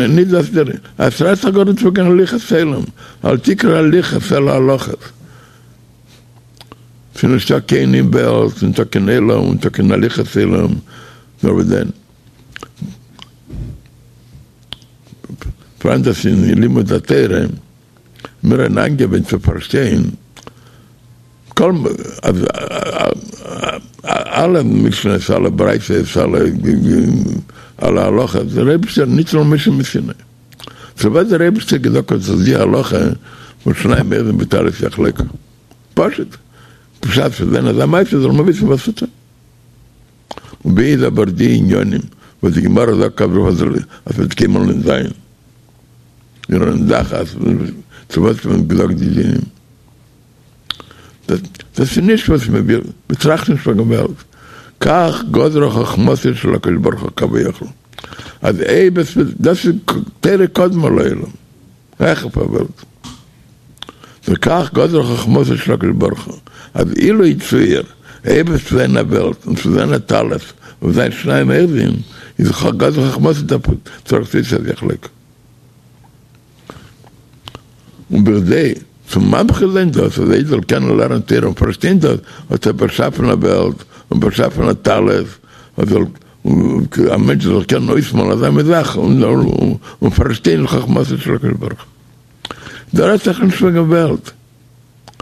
נישט דאס דער, עס רעדט זיך גארנישט וועגן הליכות עולם, אל תקרא הליכות אלא הלכות. ס'איז נישטא קיין אין וועלט, נישטא קיין עולם, נישטא קיין הליכות עולם, נאר וואס דען? פאראן דאס אין לימוד התורה, מיר האבן איינגעוואוינט צו פארשטיין כל אז אלע משניות, אלע ברייתות, אלע הלכות, דער אייבערשטער ניתנו למשה מסיני. צו וואס דער אייבערשטער געזאגט האט זיך די הלכה פון שניים אוחזין בטלית יחלוקו. פשוט, בשעת ס'וועט זיין אזא מעשה זאל מען וויסן וואס צו טון. און ווי איז אבער די עניינים וואס די גמרא זאגט אז אז ס'וועט קיינמאל נישט זיין עיר הנדחת, צו וואס האט מען געזאגט די דינים? דאס איז נישט וואס מען וויל, מען טראכט נישט וועגן וועלט, כך גזרה חכמתו של הקדוש ברוך הוא כביכול, אז אויב עס וועט, דאס איז תורה קדמה לעולם, העכער פאר וועלט, וכך גזרה חכמתו של הקדוש ברוך הוא, אז אילו יצוייר, אויב עס וועט זיין א וועלט און ס'וועט זיין א טלית און זיין שניים אוחזין, איז גזרה חכמתו צריך להיות אז יחלוקו. און בכדי צו ממחיש זיין דאס אז א איד זאל קענען לערנען תורה און פארשטיין דאס, האט ער באשאפן א וועלט און באשאפן א טלית, אז זאל א מענטש זאל קענען אויסמאלן אזא מין זאך און פארשטיין חכמתו של הקדוש ברוך הוא. דא רעדט זיך נישט וועגן וועלט,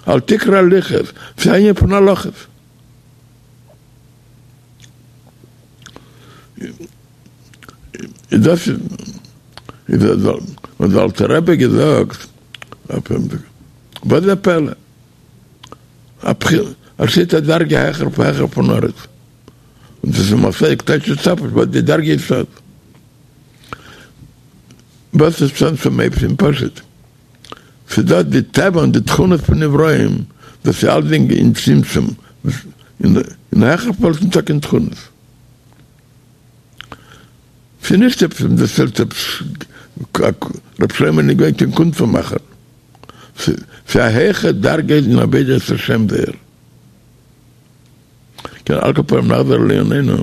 אל תקרא הליכות, ס'איז א ענין פון הלכות. איז דאס איז האט דער אלטער רבי געזאגט. וואס איז א פלא? א בחינה, עס שטייט א דרגה העכער פון העכער פון ארץ, און דאס איז מפסיק טייטש עס אפ וואס די דרגה איז סוד. וואס איז צמצום אייבערשטן פשוט? ס'איז דא די טבע און די תכונות פון נבראים, דאס איז אלסדינג אין צמצום, אין העכער וועלט ניטא קיין תכונות. ס'איז נישט עפעס וואס דערציילט עפעס ר' שלמה איז נישט געווען קיין קונצן מאכער. ס'איז א העכער דרגה אין עבודת השם זייער. כן, על כל פנים נחזור לענייננו.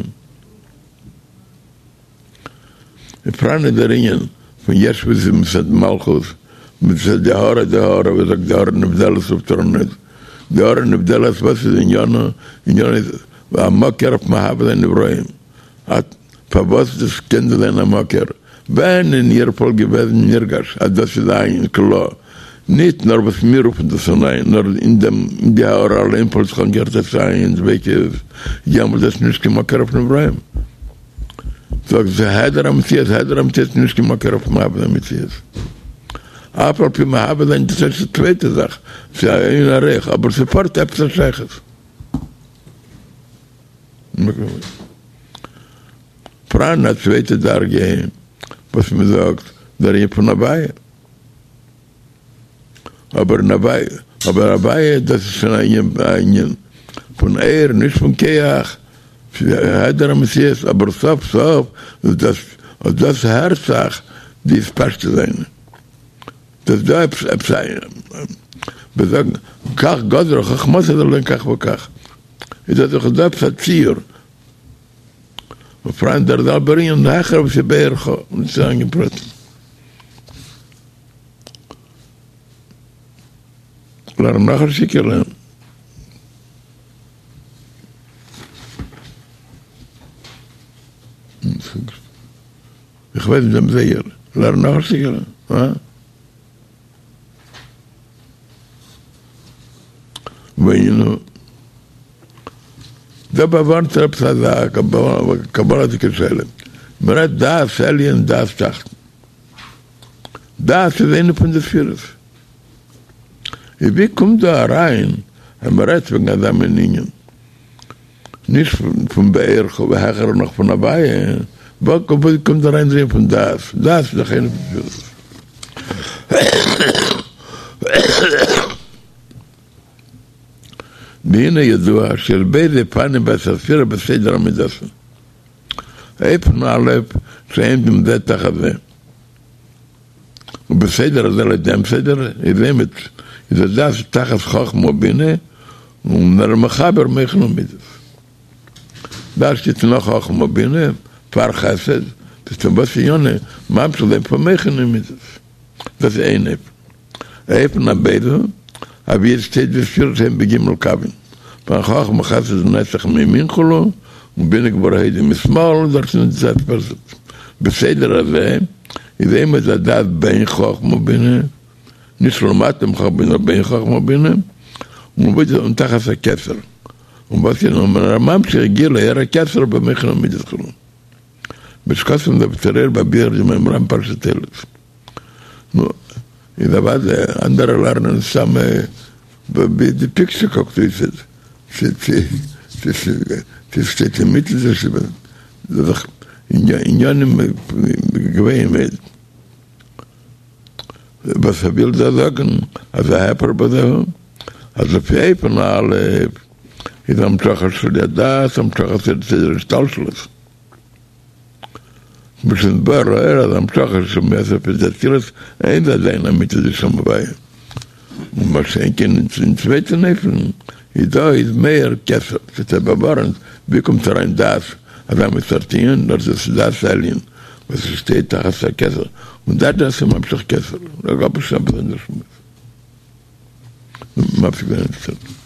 איז פאראן איז דער ענין פון יש וואס איז מצד מלכות, מצד די הארה די הארה ווי זאגט די הארה נבדלת אויף תורנות, די הארה נבדלת וואס איז עניינו, עניינו איז א מקור אויף מהווה זיין נבראים, פארוואס דאס קען דאס זיין א מקור ווען אין איר וואלט געוועזן נרגש אז דאס איז אין כלא, ניט נאר וואס מיר רופן דאס אן אין, נאר אין דעם אין די הארה אליין וואלט זיך אנגעהערט עס אין דביקות, יעמאלט דאס נישט קיין מקור אויף נבראים. זאגט זי העדר המציאות, העדר המציאות איז נישט קיין מקור אויף מהווה זיין מציאות. אף על פי מהווה זיין דאס איז א צווייטע זאך, ס'איז א אין ערוך, אבער ס'פארט עפעס א שייכות. פאראן א צווייטע דרגה וואס מ'זאגט דער ענין פון הוויה. אבער אין הוויה, אבער הוויה דאס איז שוין א ענין פון אור, נישט פון כח, ס'איז העדר המציאות, אבער סוף סוף איז דאס, אט דאס הערט זיך די התפשטות זיינע. דאס דא עפעס עפעס א, מיר זאגן כך גזרה חכמתו זאל זיין כך וכך, איז דאס דאך דא עפעס א ציור, ופאראן דער זעלבער ענין העכער וואס איז בערכו, נישט צו זאגן אין פרטים. לערן נאך א שטיקעלע. איך ווייס נישט דעם זייגער. לערן נאך א שטיקעלע. הא? והיינו. דא באווארנט ער עפעס אזא קבלה'דיגע שאלה. מ'רעדט דעת עליון דעת תחתון. דעת איז איינע פון די ספירות. איז ווי קומט דא אריין אז מען רעדט וועגן אזא מין ענין? נישט פון בערך והעכער נאך פון הוויה, ווי קומט דא אריין דער ענין פון דעת? דעת איז דאך איינע פון די ספירות. והנה ידוע שיש ב' אופנים בעשר ספירות בסדר המידות. אופן א' שעומדים זה תחת זה. ובסדר הזה לויט דעם סדר איז עומד איז הדעת תחת חכמה ובינה און ער מחבר מוחין ומידות. דעת שטייט נאך חכמה ובינה פאר חסד, דאס איז וואס ענינו ממשיך זיין פון מוחין אין מידות. דאס איז איין אופן. אופן הב' אווי עס שטייט די ספירות הן בג' קווין, פון חכמה חסד נצח מימין כו' און בינה גבורה הוד משמאל, דארט איז נישט דעת פשוט. בסדר הזה איז עומד הדעת בין חכמה ובינה, נישט למטה מחכמה ובינה נאר בין חכמה ובינה, און תחת הכתר, און וואס איז נאר ממשיך גילוי אור הכתר במוחין ומידות כו'. בשקסם דבצרר בביאור דמימרא פרשת תולדות. נו, איז אוודאי אנדערע לערנען סתם ווי די פיקטשער קוקט אויס צו ס'שטייט אינמיטן דאס איז דאך עניינים גבוהים מאוד. וואס ער וויל דא זאגן אז ההיפך בזה הוא אז לפי אופן א' איז המשכה של הדעת המשכת סדר השתלשלות. כמו שנתבאר לעיל אז המשכה של מעשר דאצילות אין זה עדיין אמיתית דשם הוויה. ומה שאין כן אין צווייטן אופן איז דא איז מער כתר, ס'איז באווארנט ווי קומט אריין דעת אזא מין סארט ענין נאר דאס איז דעת עליון וואס עס שטייט תחת הכתר און דעת דאס איז ממשיך כתר, לגבי שם באזונדער שמועס. מפסיק זיין אינטערעסאנט.